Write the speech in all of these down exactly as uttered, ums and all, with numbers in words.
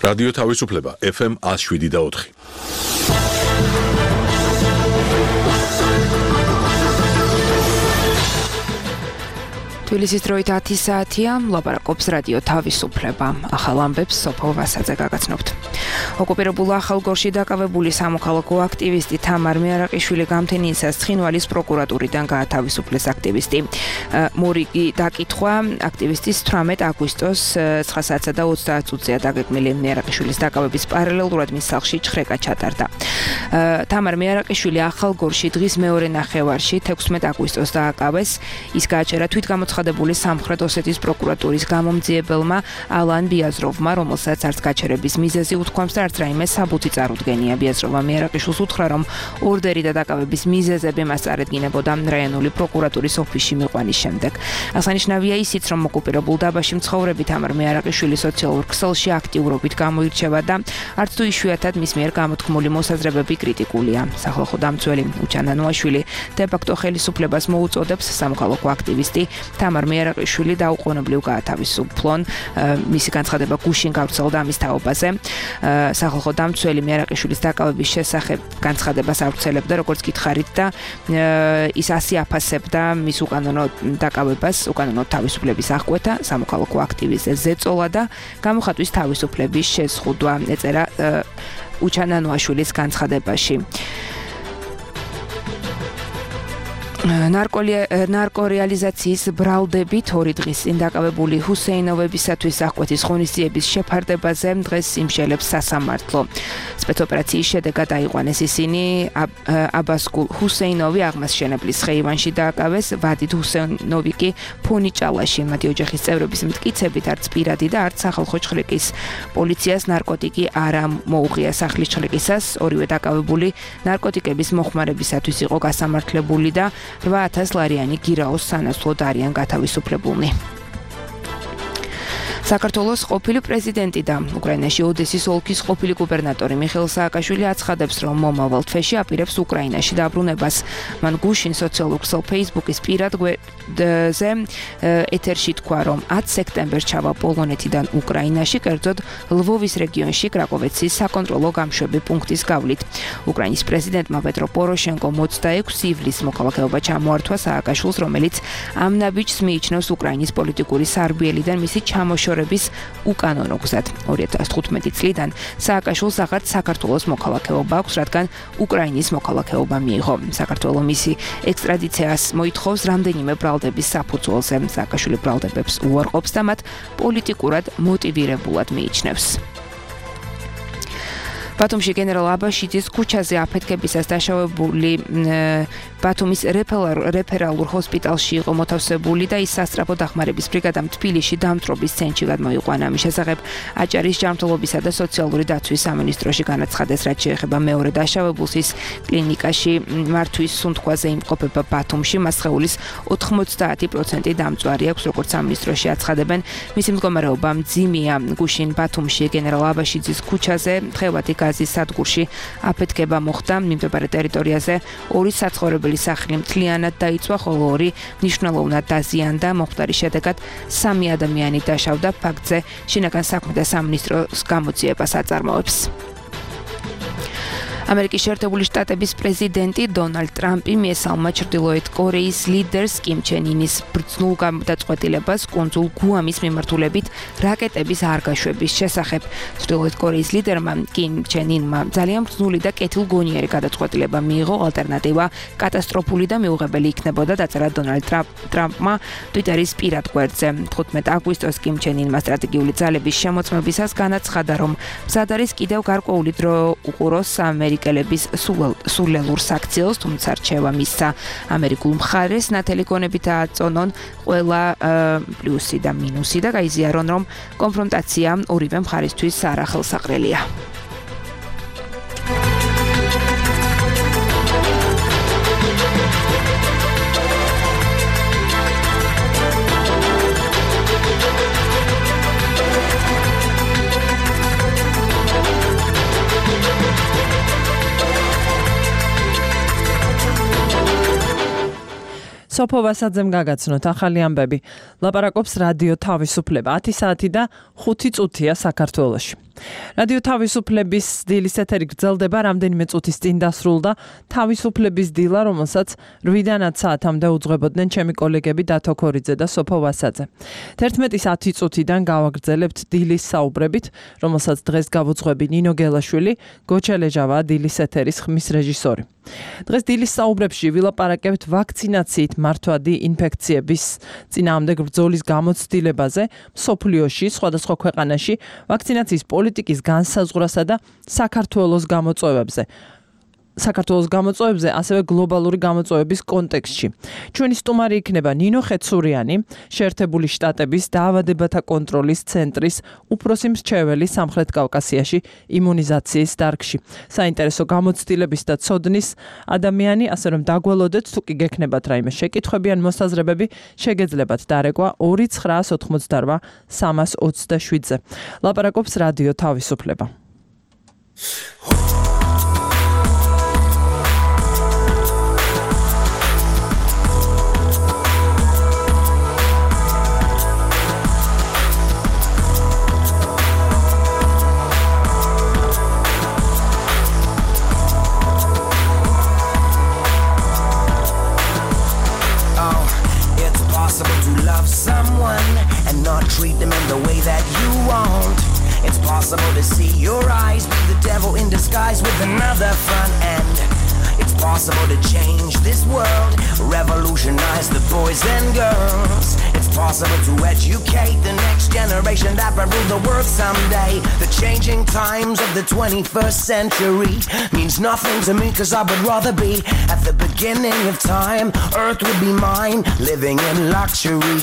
რადიო თავისუფლება ეფ ემ ათს შვიდი და ოთხი. თბილისის დროით ათი საათია, ლაპარაკობს რადიო თავისუფლება. ახალ ამბებს სოფო ვასაძე გაგაცნობთ. ოკუპირებულ ახალგორში დაკავებული სამოქალაქო აქტივისტი თამარ მეარაყიშვილი გამთენიისას ცხინვალის პროკურატურიდან გაათავისუფლეს აქტივისტი. მორიგი დაკითხვა აქტივისტის თვრამეტ აგვისტოს ცხრა საათსა და ოცდაათ წუთზეა დაგეგმილი. მეარაყიშვილის დაკავების პარალელურად მის სახლში ჩხრეკა ჩატარდა. თამარ მეარაყიშვილი ახალგორში დღის მეორე ნახევარში თექვსმეტ აგვისტოს დააკავეს. ის გააჩერა თვითგამოცხადებული სამხრეთ ოსეთის პროკურატურის გამომძიებელმა ალან ბიაზროვმა, რომელსაც არც გაჩერების მიზეზი უთქვამს და არც რაიმე საბუთი წარუდგენია. ბიაზროვმა მეარაყიშვილს უთხრა, რომ ორდერი და დაკავების მიზეზები მას წარედგინებოდა რაიონული პროკურატურის ოფისში მიყვანის შემდეგ. აღსანიშნავია ისიც, რომ ოკუპირებულ დაბაში მცხოვრები თამარ მეარაყიშვილი სოციალურ ქსელში აქტიურობით გამოირჩევა და არც თუ იშვიათად მის მიერ გამოთქმული მოსაზრებები კრიტიკულია. სახალხო დამცველი უჩან ანუაშვილი დე-ფაქტო ხელისუფლებას მოუწოდებს სამოქალაქო აქტივისტი თამარ მეარაყიშვილი დაუყოვნებლივ გაათავისუფლონ. მისი განცხადება გუშინ გავრცელდა ამის თაობაზე. სახალხო დამცველი მეარაყიშვილის დაკავების შესახებ განცხადებას ავრცელებდა, როგორც გითხარით და ის ასი აფასებდა მის უკანონო დაკავებას, უკანონო თავისუფლების აღკვეთა, სამოქალაქო აქტივისტზე ზეწოლა და გამოხატვის თავისუფლების შეზღუდვა, ეწერა უჩან ანუაშვილის განცხადებაში. ნარკორეალიზაციის ბრალდებით ორი დღის წინ დაკავებული ჰუსეინოვებისათვის აღკვეთის ღონისძიების შეფარდებაზე დღეს იმშელებს სასამართლო. სპეცოპერაციის შედეგად აიყვანეს ისინი აბასკულ ჰუსეინოვი აღმასშენებლის ხეივანში დააკავეს, ვადიდ ჰუსეინოვი კი ფონიჭალაში. მათი ოჯახის წევრების მტკიცებით არც პირადი და არც სახალხო ჩხრეკის პოლიციას ნარკოტიკი არ მოუღია. სახლის ჩხრეკისას ორივე დაკავებული ნარკოტიკების მოხმარებისათვის იყო გასამართლებული და რვა ათას ლარიანი გირაოს სანაცვლოდ არიან გათავისუფლებულნი. საქართველოს ყოფილი პრეზიდენტი და უკრაინაში ოდესის ოლქის ყოფილი გუბერნატორი მიხეილ სააკაშვილი აცხადებს, რომ მომავალ თვეში აპირებს უკრაინაში დაბრუნებას. მან გუშინ სოციალურ ქსელ ფეისბუქის პირად გვერდზე ეთერში თქვა, რომ ათი სექტემბერს ჩავა პოლონეთიდან უკრაინაში, კერძოდ ლვოვის რეგიონში კრაკოვეცის საკონტროლო გამშვები პუნქტის გავლით. უკრაინის პრეზიდენტმა პეტრო პოროშენკომ ოცდაექვსი ივლისს მოქალაქეობა ჩამოართვა სააკაშვილს, რომელიც ამ ნაბიჯს მიიჩნევს უკრაინის პოლიტიკური სარბიელიდან მისი ჩამოშორების უკანონო გზად. ორი ათას თხუთმეტი წლიდან სააკაშვილს აღარც საქართველოს მოქალაქეობა აქვს, რადგან უკრაინის მოქალაქეობა მიიღო. საქართველო მისი ექსტრადიციას მოითხოვს რამდენიმე ბრალდების საფუძველზე. სააკაშვილი ბრალდებებს უარყოფს და მათ პოლიტიკურად მოტივირებულად მიიჩნევს. ბათუმში გენერალ აბაშიძის ქუჩაზე აფეთქებისას დაშავებული ბათუმის რეფერალურ ჰოსპიტალში იყო მოთავსებული და ის სასწრაფო დახმარების ბრიგადამ თბილისში დამწვრობის ცენტრში გადმოიყვანა. ამის შესახებ აჭარის ჯანმრთელობისა და სოციალური დაცვის სამინისტროში განაცხადეს, რაც შეეხება მეორე დაშავებულს, ის კლინიკაში მართვის სუნთქვაზე იმყოფება ბათუმში. მას სხეულის ოთხმოცდაათი პროცენტი დამწვარი აქვს, როგორც სამინისტროში აცხადებენ. მისი მდგომარეობა მძიმეა. გუშინ ბათუმში გენერალ აბაშიძის ქუჩაზე თხევადი გაზის სადგურში აფეთქება მოხდა. მიმდებარე ტერიტორიაზე ორი საცხოვრებელი სახლი მთლიანად დაიწვა, ხოლო ორი მნიშვნელოვნად დაზიანდა. მომხდარის შედეგად სამი ადამიანი დაშავდა. ფაქტზე შინაგან საქმეთა სამინისტროს გამოძიებას აწარმოებს. ამერიკის შეერთებული შტატების პრეზიდენტი დონალდ ტრამპი მიესალმა ჩრდილოეთ კორეის ლიდერს კიმ ჩენ ინის ბრძნულ გადაწყვეტილებას კუნძულ გუამის მიმართულებით რაკეტების არ გაშვების შესახებ. ჩრდილოეთ კორეის ლიდერმა კიმ ჩენ ინმა ძალიან ბრძნული და კეთილგონიერი გადაწყვეტილება მიიღო. ალტერნატივა კატასტროფული და მიუღებელი იქნებოდა, დაწერა დონალდ ტრამპმა ტვიტერის პირად გვერდზე. თხუთმეტი აგვისტოს კიმ ჩენ ინმა სტრატეგიული ძალების შემოწმებისას განაცხადა, რომ მზად არის კიდევ გარკვეული დრო უყუროს ამერიკას ამერიკელების სულელურ საქციელს, თუმცა რჩევა მისცა ამერიკულ მხარეს ნათელი გონებით აწონონ ყველა პლუსი და მინუსი და გაიზიარონ, რომ კონფრონტაცია ორივე მხარისთვის არახელსაყრელია. სოფო ვასაძემ გაგაცნოთ ახალი ამბები. ლაპარაკობს რადიო თავისუფლება. ათი საათი და ხუთი წუთია საქართველოში. რადიო თავისუფლების დილის ეთერი გრძელდება, რამდენიმე წუთის წინ დასრულდა თავისუფლების დილა, რომელსაც რვიდან ათ საათამდე უძღვებოდნენ ჩემი კოლეგები დათო ქორიძე და სოფო ვასაძე. თერთმეტის ათი წუთიდან გავაგრძელებთ დილის საუბრებით, რომელსაც დღეს გავუძღვები ნინო გელაშვილი, გოჩელეჟავა დილის ეთერის ხმის რეჟისორი. დღეს დილის საუბრებში ვილაპარაკებთ ვაქცინაციით მართვადი ინფექციების წინააღმდეგ ბრძოლის გამოცდილებაზე მსოფლიოში, სხვადასხვა ქვეყანაში, ვაქცინაციის პოლიტიკის განსაზღვრასა და საქართველოს გამოწვევებზე. საქართველოს გამოწვევებზე, ასევე გლობალური გამოწვევების კონტექსტში. ჩვენი სტუმარი იქნება ნინო ხეცურიანი, შეერთებული შტატების დაავადებათა კონტროლის ცენტრის უფროსი მრჩეველი სამხრეთ კავკასიაში იმუნიზაციის დარგში. საინტერესო გამოცდილების და ცოდნის ადამიანი, ასე რომ დაგველოდეთ, თუ კი გექნებათ რაიმე შეკითხვები ან მოსაზრებები, შეგეძლებათ დარეკვა ორი ცხრაას ოთხმოცდარვა სამას ოცდაშვიდზე. ლაპარაკობს რადიო თავისუფლება. Treat them in the way that you want. It's possible to see your eyes be the devil in disguise with another front end. It's possible to change this world, revolutionize the boys and girls. It's possible to educate the next generation that will rule the world someday. The changing times of the twenty-first century means nothing to me, cause I would rather be at the beginning of time. Earth would be mine, living in luxury.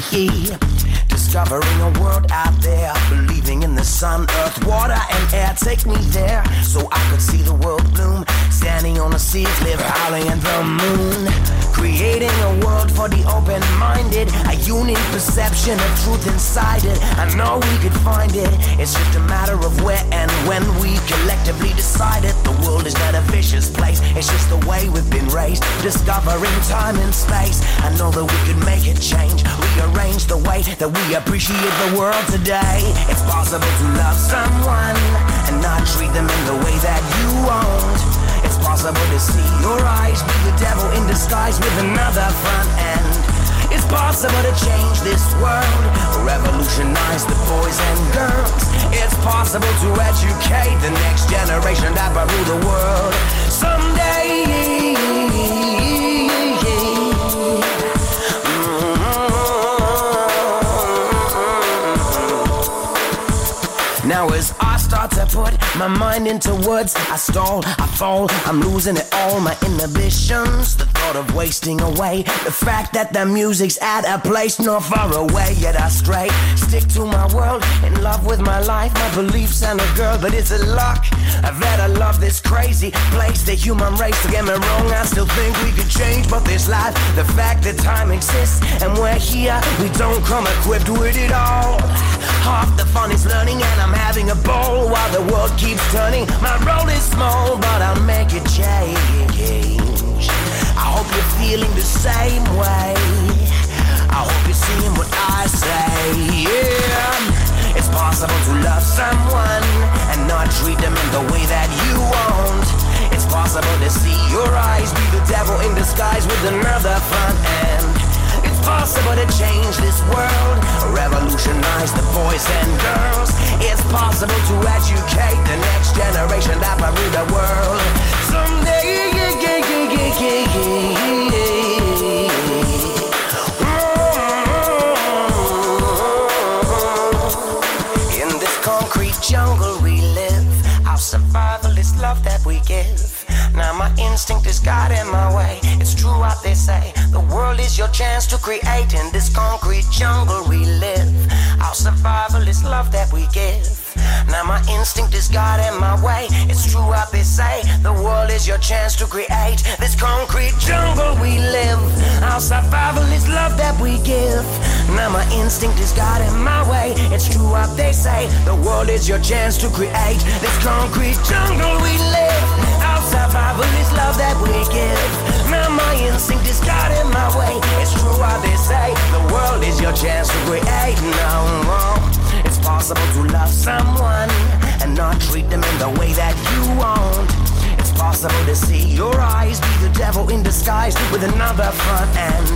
Discovering a world out there, believing in the sun, earth, water and air. Take me there so I could see the world bloom. Standing on the seas, live howling at the moon. Creating a world for the open-minded, a unique perception of truth inside it. I know we could find it, it's just a matter of where and when we collectively decide it. The world is not a vicious place, it's just the way we've been raised. Discovering time and space, I know that we could make it change. Rearrange the way that we appreciate the world today. It's possible to love someone and not treat them in the way that you want. It's possible to see your eyes be the devil in disguise with another front end. It's possible to change this world, revolutionize the boys and girls. It's possible to educate the next generation that will rule the world someday. Now as I start to put my mind into words, I stall, I fall, I'm losing it all, my inhibitions. The thought of wasting away, the fact that the music's at a place not far away. Yet I stray, stick to my world, in love with my life, my beliefs and a girl. But it's a luck that I love this crazy place, the human race. Don't get me wrong, I still think we could change, but this life, the fact that time exists and we're here, we don't come equipped with it all. Half the fun is learning and I'm having a ball while the world keeps turning. My role is small, but I'll make it change. I hope you're feeling the same way. I hope you're seeing what I say. Yeah, it's possible to love someone and not treat them in the way that you want. It's possible to see your eyes be the devil in disguise with another front end. It's possible to change this world, revolutionize the boys and girls. It's possible to educate the next generation that will rule the world someday. In this concrete jungle we live, our survival is love that we give. Now my instinct is guiding my way. It's true what they say, the world is your chance to create. In this concrete jungle we live, our survival is love that we give. Now my instinct is guiding my way. It's true what they say, the world is your chance to create. This concrete jungle we live, our survival is love that we give. Now my instinct is guiding my way. It's true what they say, the world is your chance to create. This concrete jungle we live, our survival is love that we give. Now my instinct is guiding my way. It's true what they say, the world is your chance to create. No, it's possible to love someone and not possible to see your eyes be the devil in disguise with another front end.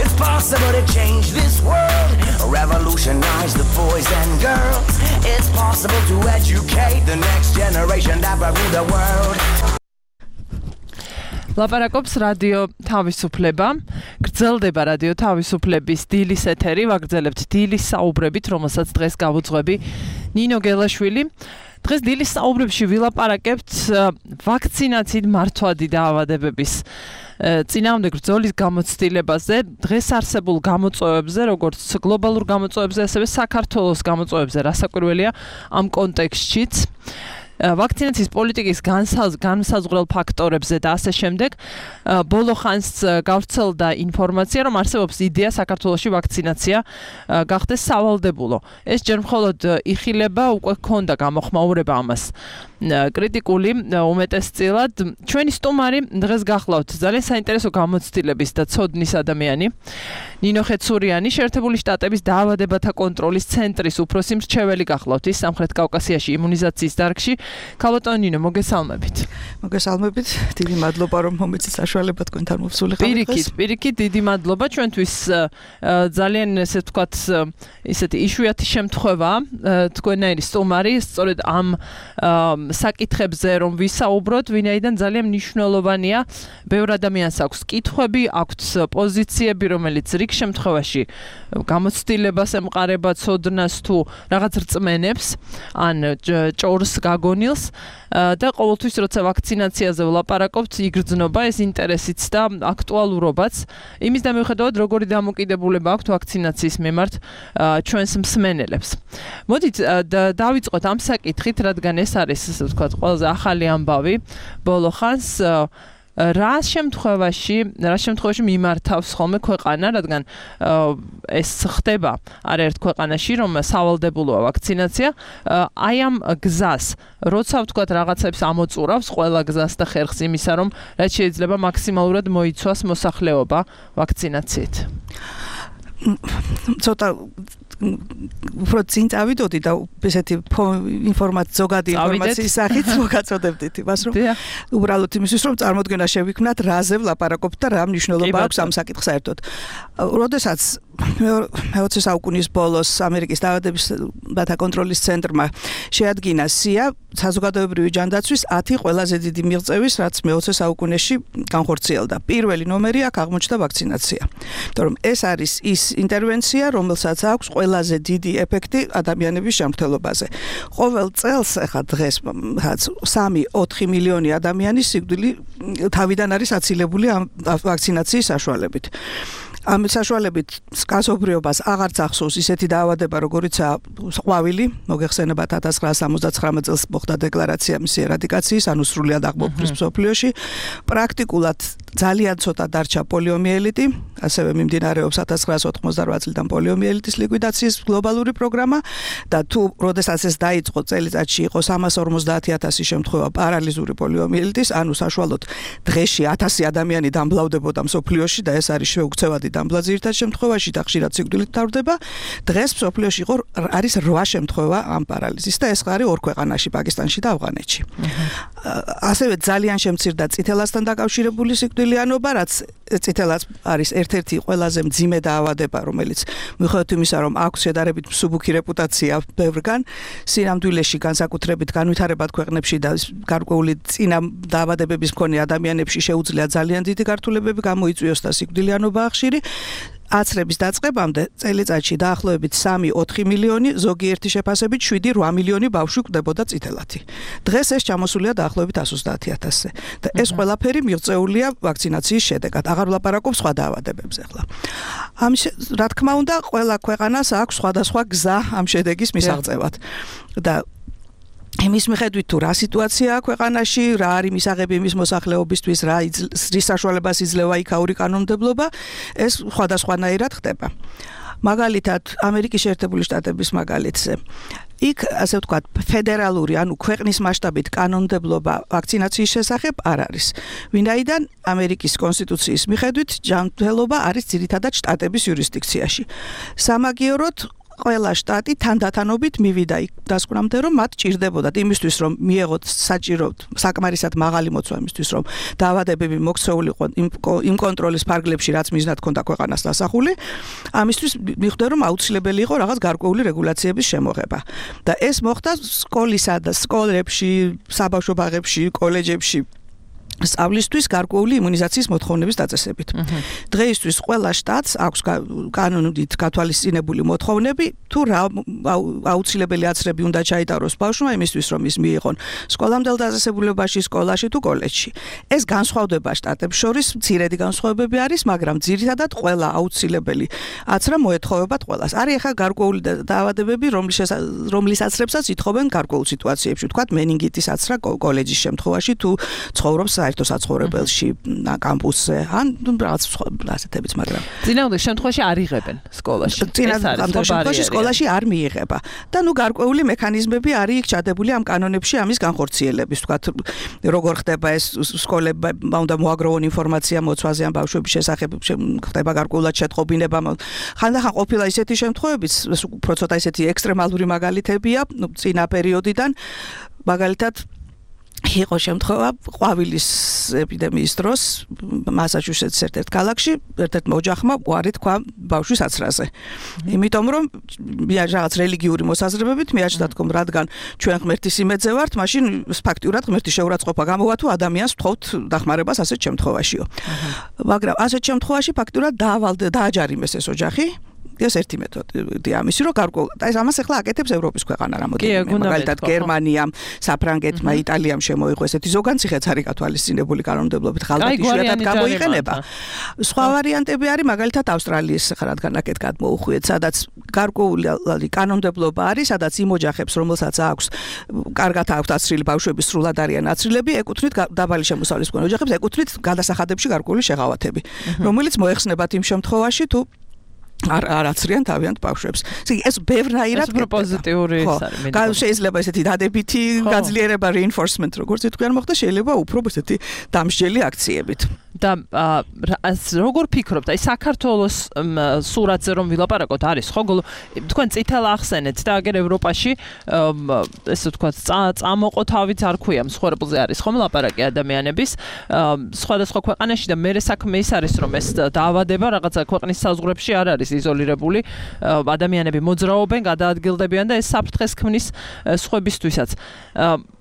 It's possible to change this world, revolutionize the boys and girls. It's possible to educate the next generation that will rule the world. ლაპარაკობს რადიო თავისუფლება. გრძელდება რადიო თავისუფლების დილის ეთერი, ვაგრძელებთ დილის საუბრებით, რომელსაც დღეს გავუძღვები ნინო გელაშვილი. დღეს დილის საუბრებში ვილაპარაკებთ ვაქცინაციით მართვადი დაავადებების წინააღმდეგ ბრძოლის გამოცდილებაზე, დღეს არსებულ გამოწვევებზე, როგორც გლობალურ გამოწვევებზე, ასევე საქართველოს გამოწვევებზე, რასაკვირველია ამ კონტექსტშიც. ვაქცინაციის პოლიტიკის განსაზღვრელ ფაქტორებზე და ასე შემდეგ. ბოლო ხანს გავრცელდა ინფორმაცია, რომ არსებობს იდეა საქართველოში ვაქცინაცია გახდეს სავალდებულო. ეს ჯერ მხოლოდ იხილება, უკვე ჰქონდა გამოხმაურება ამას. კრიტიკული უმეტესწილად. ჩვენი სტუმარი დღეს გახლავთ ძალიან საინტერესო გამოცდილების და ცოდნის ადამიანი. ნინო ხეცურიანი, შეერთებული შტატების დაავადებათა კონტროლის ცენტრის უფროსი მრჩეველი გახლავთ ის სამხრეთ კავკასიაში იმუნიზაციის დარგში. ქალბატონო ნინო, მოგესალმებით. მოგესალმებით. დიდი მადლობა, რომ მომეცით საშუალება თქვენთან მოვსული ხარ. პირიქით, პირიქით დიდი მადლობა. ჩვენთვის ძალიან ესე ვთქვათ, ისეთი იშვიათი შემთხვევა თქვენაირი სტუმარი, სწორედ ამ საკითხებზე რომ ვისაუბროთ, ვინაიდან ძალიან მნიშვნელოვანია. ბევრ ადამიანს აქვს კითხვები, აქვს პოზიციები, რომელიც რიგ შემთხვევაში გამოცდილებას ემყარება, ცოდნას თუ რაღაც რწმენებს, ან ჭორს გაგონილს და ყოველთვის როცა ვაქცინაციაზე ვლაპარაკობთ, იგრძნობა ეს ინტერესიც და აქტუალურობაც. იმის და მიუხედავად, როგორი დამოკიდებულება აქვთ ვაქცინაციის მიმართ ჩვენს მსმენელებს. მოდით დავიწყოთ ამ საკითხით, რადგან ეს არის ასე ვთქვათ, ყველაზე ახალი ამბავი ბოლო ხანს. რა შემთხვევაში, რა შემთხვევაში მიმართავს ხოლმე ქვეყანა, რადგან ეს ხდება არაერთ ქვეყანაში, რომ სავალდებულოა ვაქცინაცია, აი ამ გზას, როცა ვთქვათ რაღაცებს ამოწურავს ყველა გზას და ხერხს იმისა, რომ რაც შეიძლება მაქსიმალურად მოიცვას მოსახლეობა ვაქცინაციით. ცოტა უფრო წინ წავიდოდი და ესეთი ინფორმაცია, ზოგადი ინფორმაციის სახით მოგაწოდებდით იმას, რომ უბრალოდ იმისთვის, რომ წარმოდგენა შევიქმნათ, რაზე ვლაპარაკობთ და რა მნიშვნელობა აქვს ამ საკითხს საერთოდ. როდესაც მეოცე საუკუნის ბოლოს ამერიკის დაავადებათა კონტროლის ცენტრმა შეადგინა სია საზოგადოებრივი ჯანდაცვის ათი ყველაზე დიდი მიღწევის, რაც მეოცე საუკუნეში განხორციელდა. პირველი ნომერი აქ აღმოჩნდა ვაქცინაცია. იმიტომ რომ ეს არის ის ინტერვენცია, რომელსაც აქვს ყველაზე დიდი ეფექტი ადამიანების ჯანმრთელობაზე. ყოველ წელს ახლა დღეს სამი ოთხი მილიონი ადამიანი სიკვდილი თავიდან არის აცილებული ამ ვაქცინაციის საშუალებით. ამ საშუალებით გასობრიობას აღარც ახსოვს ისეთი დაავადება, როგორიცაა ყვავილი, მოგეხსენებათ ათას ცხრაასა სამოცდათხრამეტ წელს მოხდა დეკლარაცია მისი ერადიკაციის, ანუ სრულად აღმოფხვრვის მსოფლიოში. პრაქტიკულად ძალიან ცოტა დარჩა პოლიომიელიტი, ასევე მიმდინარეობს ათას ცხრაასა ოთხმოცდარვა წლიდან პოლიომიელიტის ლიკვიდაციის გლობალური პროგრამა და თუ როდესაც ეს დაიწყო წელიწადში იყო სამას ორმოცდაათი ათასი შემთხვევა პარალიზური პოლიომიელიტის, ანუ საშუალოდ დღეში ათასი ადამიანი დამბლავდებოდა მსოფლიოში და ეს არის შეუქცევადი დამბლა ძირითად შემთხვევაში და ხშირად სიკვდილით თავდება. დღეს მსოფლიოში იყო არის რვა შემთხვევა ამ პარალიზის და ეს არის ორ ქვეყანაში, პაკისტანში და ავღანეთში. ასევე ძალიან შემცირდა წითელასთან დაკავშირებული სიკვდილიანობა, რაც წითელას არის ერთ-ერთი ყველაზე მძიმე დაავადება, რომელიც მიუხედავად იმისა, რომ აქვს შედარებით მსუბუქი რეპუტაცია ბევრგან, სინამდვილეში განსაკუთრებით განვითარებად ქვეყნებში და გარკვეული წინა დაავადებების მქონე ადამიანებში შეუძლია ძალიან დიდი გართულებები გამოიწვიოს და სიკვდილიანობა ხშირი. აცრების დაწყებამდე წელიწადში დაახლოებით სამი ოთხი მილიონი, ზოგიერთი შეფასებით შვიდი რვა მილიონი ბავშვი კვდებოდა წითელათი. დღეს ეს ჩამოსულია დაახლოებით εκατო ოცდაათი ათასზე. და ეს ყველაფერი მიღწეულია ვაქცინაციის შედეგად. აღარ ვლაპარაკობ სხვა დაავადებებზე ახლა. ამ რა თქმა უნდა, ყველა ქვეყანას აქვს სხვადასხვა გზა ამ შედეგის მისაღწევად. და იმის მიხედვით თუ რა სიტუაციაა ქვეყანაში, რა არის მისაღები მის მოსახლეობისთვის, რა რის საშუალებას იძლევა იქაური კანონმდებლობა, ეს სხვადასხვანაირად ხდება. მაგალითად, ამერიკის შეერთებული შტატების მაგალითზე. იქ, ასე ვთქვათ, ფედერალური, ანუ ქვეყნის მასშტაბით კანონმდებლობა ვაქცინაციის შესახებ არ არის. ვინაიდან ამერიკის კონსტიტუციის მიხედვით ჯანმრთელობა არის ძირითადად შტატების იურისდიქციაში. სამაგიეროდ ყველა შტატი თანდათანობით მივიდა იქ დასკვნამდე, რომ მათ ჭირდებოდათ იმისთვის, რომ მიეღოთ საჭირო საკმარისად მაღალი მოცვა იმისთვის, რომ დაავადებები მოქცეულიყო იმ კონტროლის ფარგლებში, რაც მიზნად ჰქონდა ქვეყანას დასახული, ამისთვის მიხვდა, რომ აუცილებელი იყო რაღაც გარკვეული რეგულაციების შემოღება. და ეს მოხდა სკოლისა და სკოლებში, საბავშვო ბაღებში, კოლეჯებში სწავლისთვის გარკვეული იმუნიზაციის მოთხოვნების დაწესებით. დღეისთვის ყველა შტატს აქვს კანონით გათვალისწინებული მოთხოვნები, თუ რა აუცილებელი აცრები უნდა ჩაიტაროს ბავშვმა იმისთვის, რომ ის მიიღონ სკოლამდელ დაწესებულებაში, სკოლაში თუ კოლეჯში. ეს განსხვავდება შტატებს შორის, მცირედი განსხვავებები არის, მაგრამ ძირითადად ყველა აუცილებელი აცრა მოეთხოვებათ ყველას. არის ახლა გარკვეული დაავადებები, რომლის აცრებსაც ითხოვენ გარკვეულ სიტუაციებში, თქვათ მენინგიტის აცრა კოლეჯის შემთხვევაში თუ ცხოვრობს საერთო საცხოვრებელში, კამპუსზე, ან რაღაც ასეთებიც, მაგრამ წინააღმდეგ შემთხვევაში არ იღებენ სკოლაში. წინააღმდეგ შემთხვევაში სკოლაში არ მიიღება. და ნუ გარკვეული მექანიზმები არის იქ ჩადებული ამ კანონებში ამის განხორციელების, თქვათ, როგორ ხდება ეს სკოლები უნდა მოაგროვონ ინფორმაცია მოცვაზე ამ ბავშვების შესახებ, ხდება გარკვეულად შეტყობინება. ხანდახან ყოფილა ისეთი შემთხვევებიც, უფრო ცოტა ისეთი ექსტრემალური მაგალითებია, ნუ წინა პერიოდიდან, მაგალითად იყო შემთხვევა ყვავილის ეპიდემიის დროს მასაჩუსეტსის ერთ-ერთ ქალაქში ერთ-ერთ ოჯახმა უარი თქვა ბავშვის აცრაზე. იმიტომ რომ რაღაც რელიგიური მოსაზრებებით მიაჩნდათ, რომ რადგან ჩვენ ღმერთის იმედზე ვართ, მაშინ ფაქტიურად ღმერთის შეურაცხყოფა გამოვა თუ ადამიანს ვთხოვთ დახმარებას ასეთ შემთხვევაშიო. მაგრამ ასეთ შემთხვევაში ფაქტიურად დაავალდა დააჯარიმეს ეს ოჯახი. ეს ერთი მეთოდია ამისი, რომ გარკვეულ ეს ამას ახლა აკეთებს ევროპის ქვეყანა რამოდენიმე, მაგალითად გერმანიამ, საფრანგეთმა, იტალიამ შემოიღო ესეთი ზოგანციხეც არის გათვალისწინებული კანონმდებლობით, ხალხად იშვიათად გამოიყენება. სხვა ვარიანტები არის, მაგალითად ავსტრალიის ხარ რადგან აკეთ გადმოუხვიეთ, სადაც გარკვეული კანონმდებლობა არის, სადაც იმ ოჯახებს, რომელსაც აქვს კარგად აქვს აცრილი ბავშვები, სრულად არიან აცრილები, ეკუთვნით დაბალი შემოსავლის მქონე ოჯახებს, ეკუთვნით გადასახადებში გარკვეული შეღავათები, რომელიც მოეხსნებათ იმ შემთხვევაში, თუ არ არ აცრიან თავიანთ ბავშვებს. ეს ბევრნაირად პროპოზიტიური ის არის. შეიძლება ესეთი დადებითი გაძლიერება reinforcement როგორც ითქვიან მოხდა, შეიძლება უფრო ესეთი დამსჯელი აქციებით. და როგორ ფიქრობთ, აი საქართველოს სურათზე რომ ვილაპარაკოთ, არის ხო თქვენ წითელ ახსენეთ და აგერ ევროპაში ესე ვთქვათ წამოყო თავით არ ქვია მსხვერპლზე არის ხომ ლაპარაკი ადამიანების სხვადასხვა ქვეყანაში და მე საქმე ის არის რომ ეს დაავადება რაღაცა ქვეყნის საზღვრებში არ არის იზოლირებული, ადამიანები მოძრაობენ, გადაადგილდებიან და ეს საფრთხეს ქმნის სხვებისთვისაც.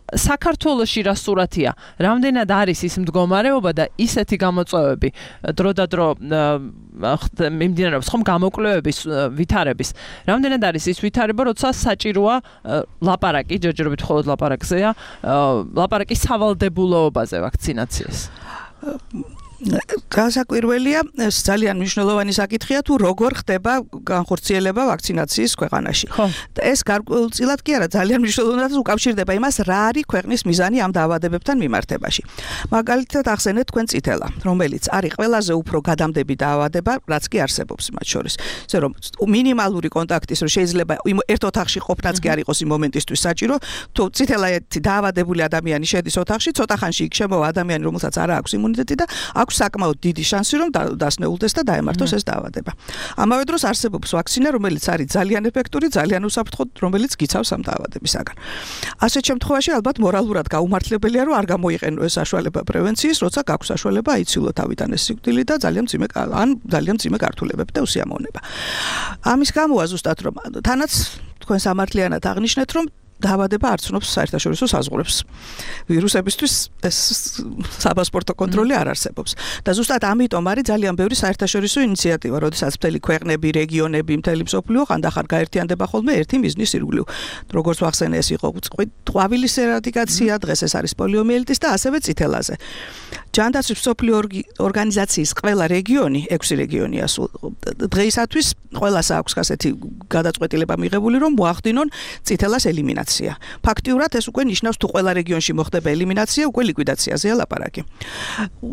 საქართველოში რა სურათია? რამდენად არის ის მდგომარეობა და ისეთი გამოწვევები დროდადრო მიმდინარეობს ხომ გამოკვლევების ვითარების. რამდენად არის ის ვითარება, როცა საჭიროა ლაპარაკი, ჯერჯერობით მხოლოდ ლაპარაკზეა, ლაპარაკი სავალდებულოობაზე ვაქცინაციას. გასაკვირველია, ძალიან მნიშვნელოვანი საკითხია თუ როგორ ხდება განხორციელება ვაქცინაციის ქვეყანაში. ეს გარკვეულწილად კი არა, ძალიან მნიშვნელოვნად უკავშირდება იმას, რა არის ქვეყნის მიზანი ამ დაავადებებთან მიმართებაში. მაგალითად, ახსენეთ თქვენ წითელა, რომელიც არის ყველაზე უფრო გადამდები დაავადება, რაც კი არსებობს მათ შორის. ესე რომ მინიმალური კონტაქტის რომ შეიძლება ერთ ოთახში ყოფნაც კი არ იყოს იმ მომენტისთვის საჭირო, თუ წითელა ერთი დაავადებული ადამიანი შედის ოთახში, ცოტა ხანში იქ შემოვა ადამიანი, რომელსაც არ აქვს იმუნიტეტი და აქვს საკმაოდ დიდი შანსი რომ დასნეულდეს და დაემართოს ეს დაავადება. ამავე დროს არსებობს ვაქცინა, რომელიც არის ძალიან ეფექტური, ძალიან უსაფრთხო, რომელიც გიცავს ამ დაავადებისაგან. ასეთ შემთხვევაში ალბათ მორალურად გაუმართლებელია რომ არ გამოიყენო ეს საშუალება პრევენციის, როცა გაქვს საშუალება აიცილო თავიდან ეს სიკვდილი და ძალიან მძიმე ან ძალიან მძიმე გართულებები და უსიამოვნება. ამის გამოა ზუსტად რომ თანაც თქვენ სამართლიანად აღნიშნეთ რომ დაავადება არ ცნობს საერთაშორისო საზღვრებს. ვირუსებისთვის ეს საპასპორტო კონტროლი არ არსებობს. და ზუსტად ამიტომ არის ძალიან ბევრი საერთაშორისო ინიციატივა, როდესაც მთელი ქვეყნები, რეგიონები, მთელი მსოფლიო ხანდახან გაერთიანდება ხოლმე ერთი მიზნის ირგვლივ. როგორც ვახსენე, ეს იყო ყვავილის ერადიკაცია, დღეს ეს არის პოლიომიელიტის და ასევე წითელაზე. ჯანდაცვის მსოფლიო ორგანიზაციის ყველა რეგიონი, ექვსი რეგიონია სულ დღეისათვის ყველას აქვს ასეთი გადაწყვეტილება მიღებული, რომ მოახდინონ წითელას ელიმინაცია. ფაქტიურად ეს უკვე ნიშნავს თუ ყველა რეგიონში მოხდება ელიმინაცია, უკვე ლიკვიდაციაზეა ლაპარაკი.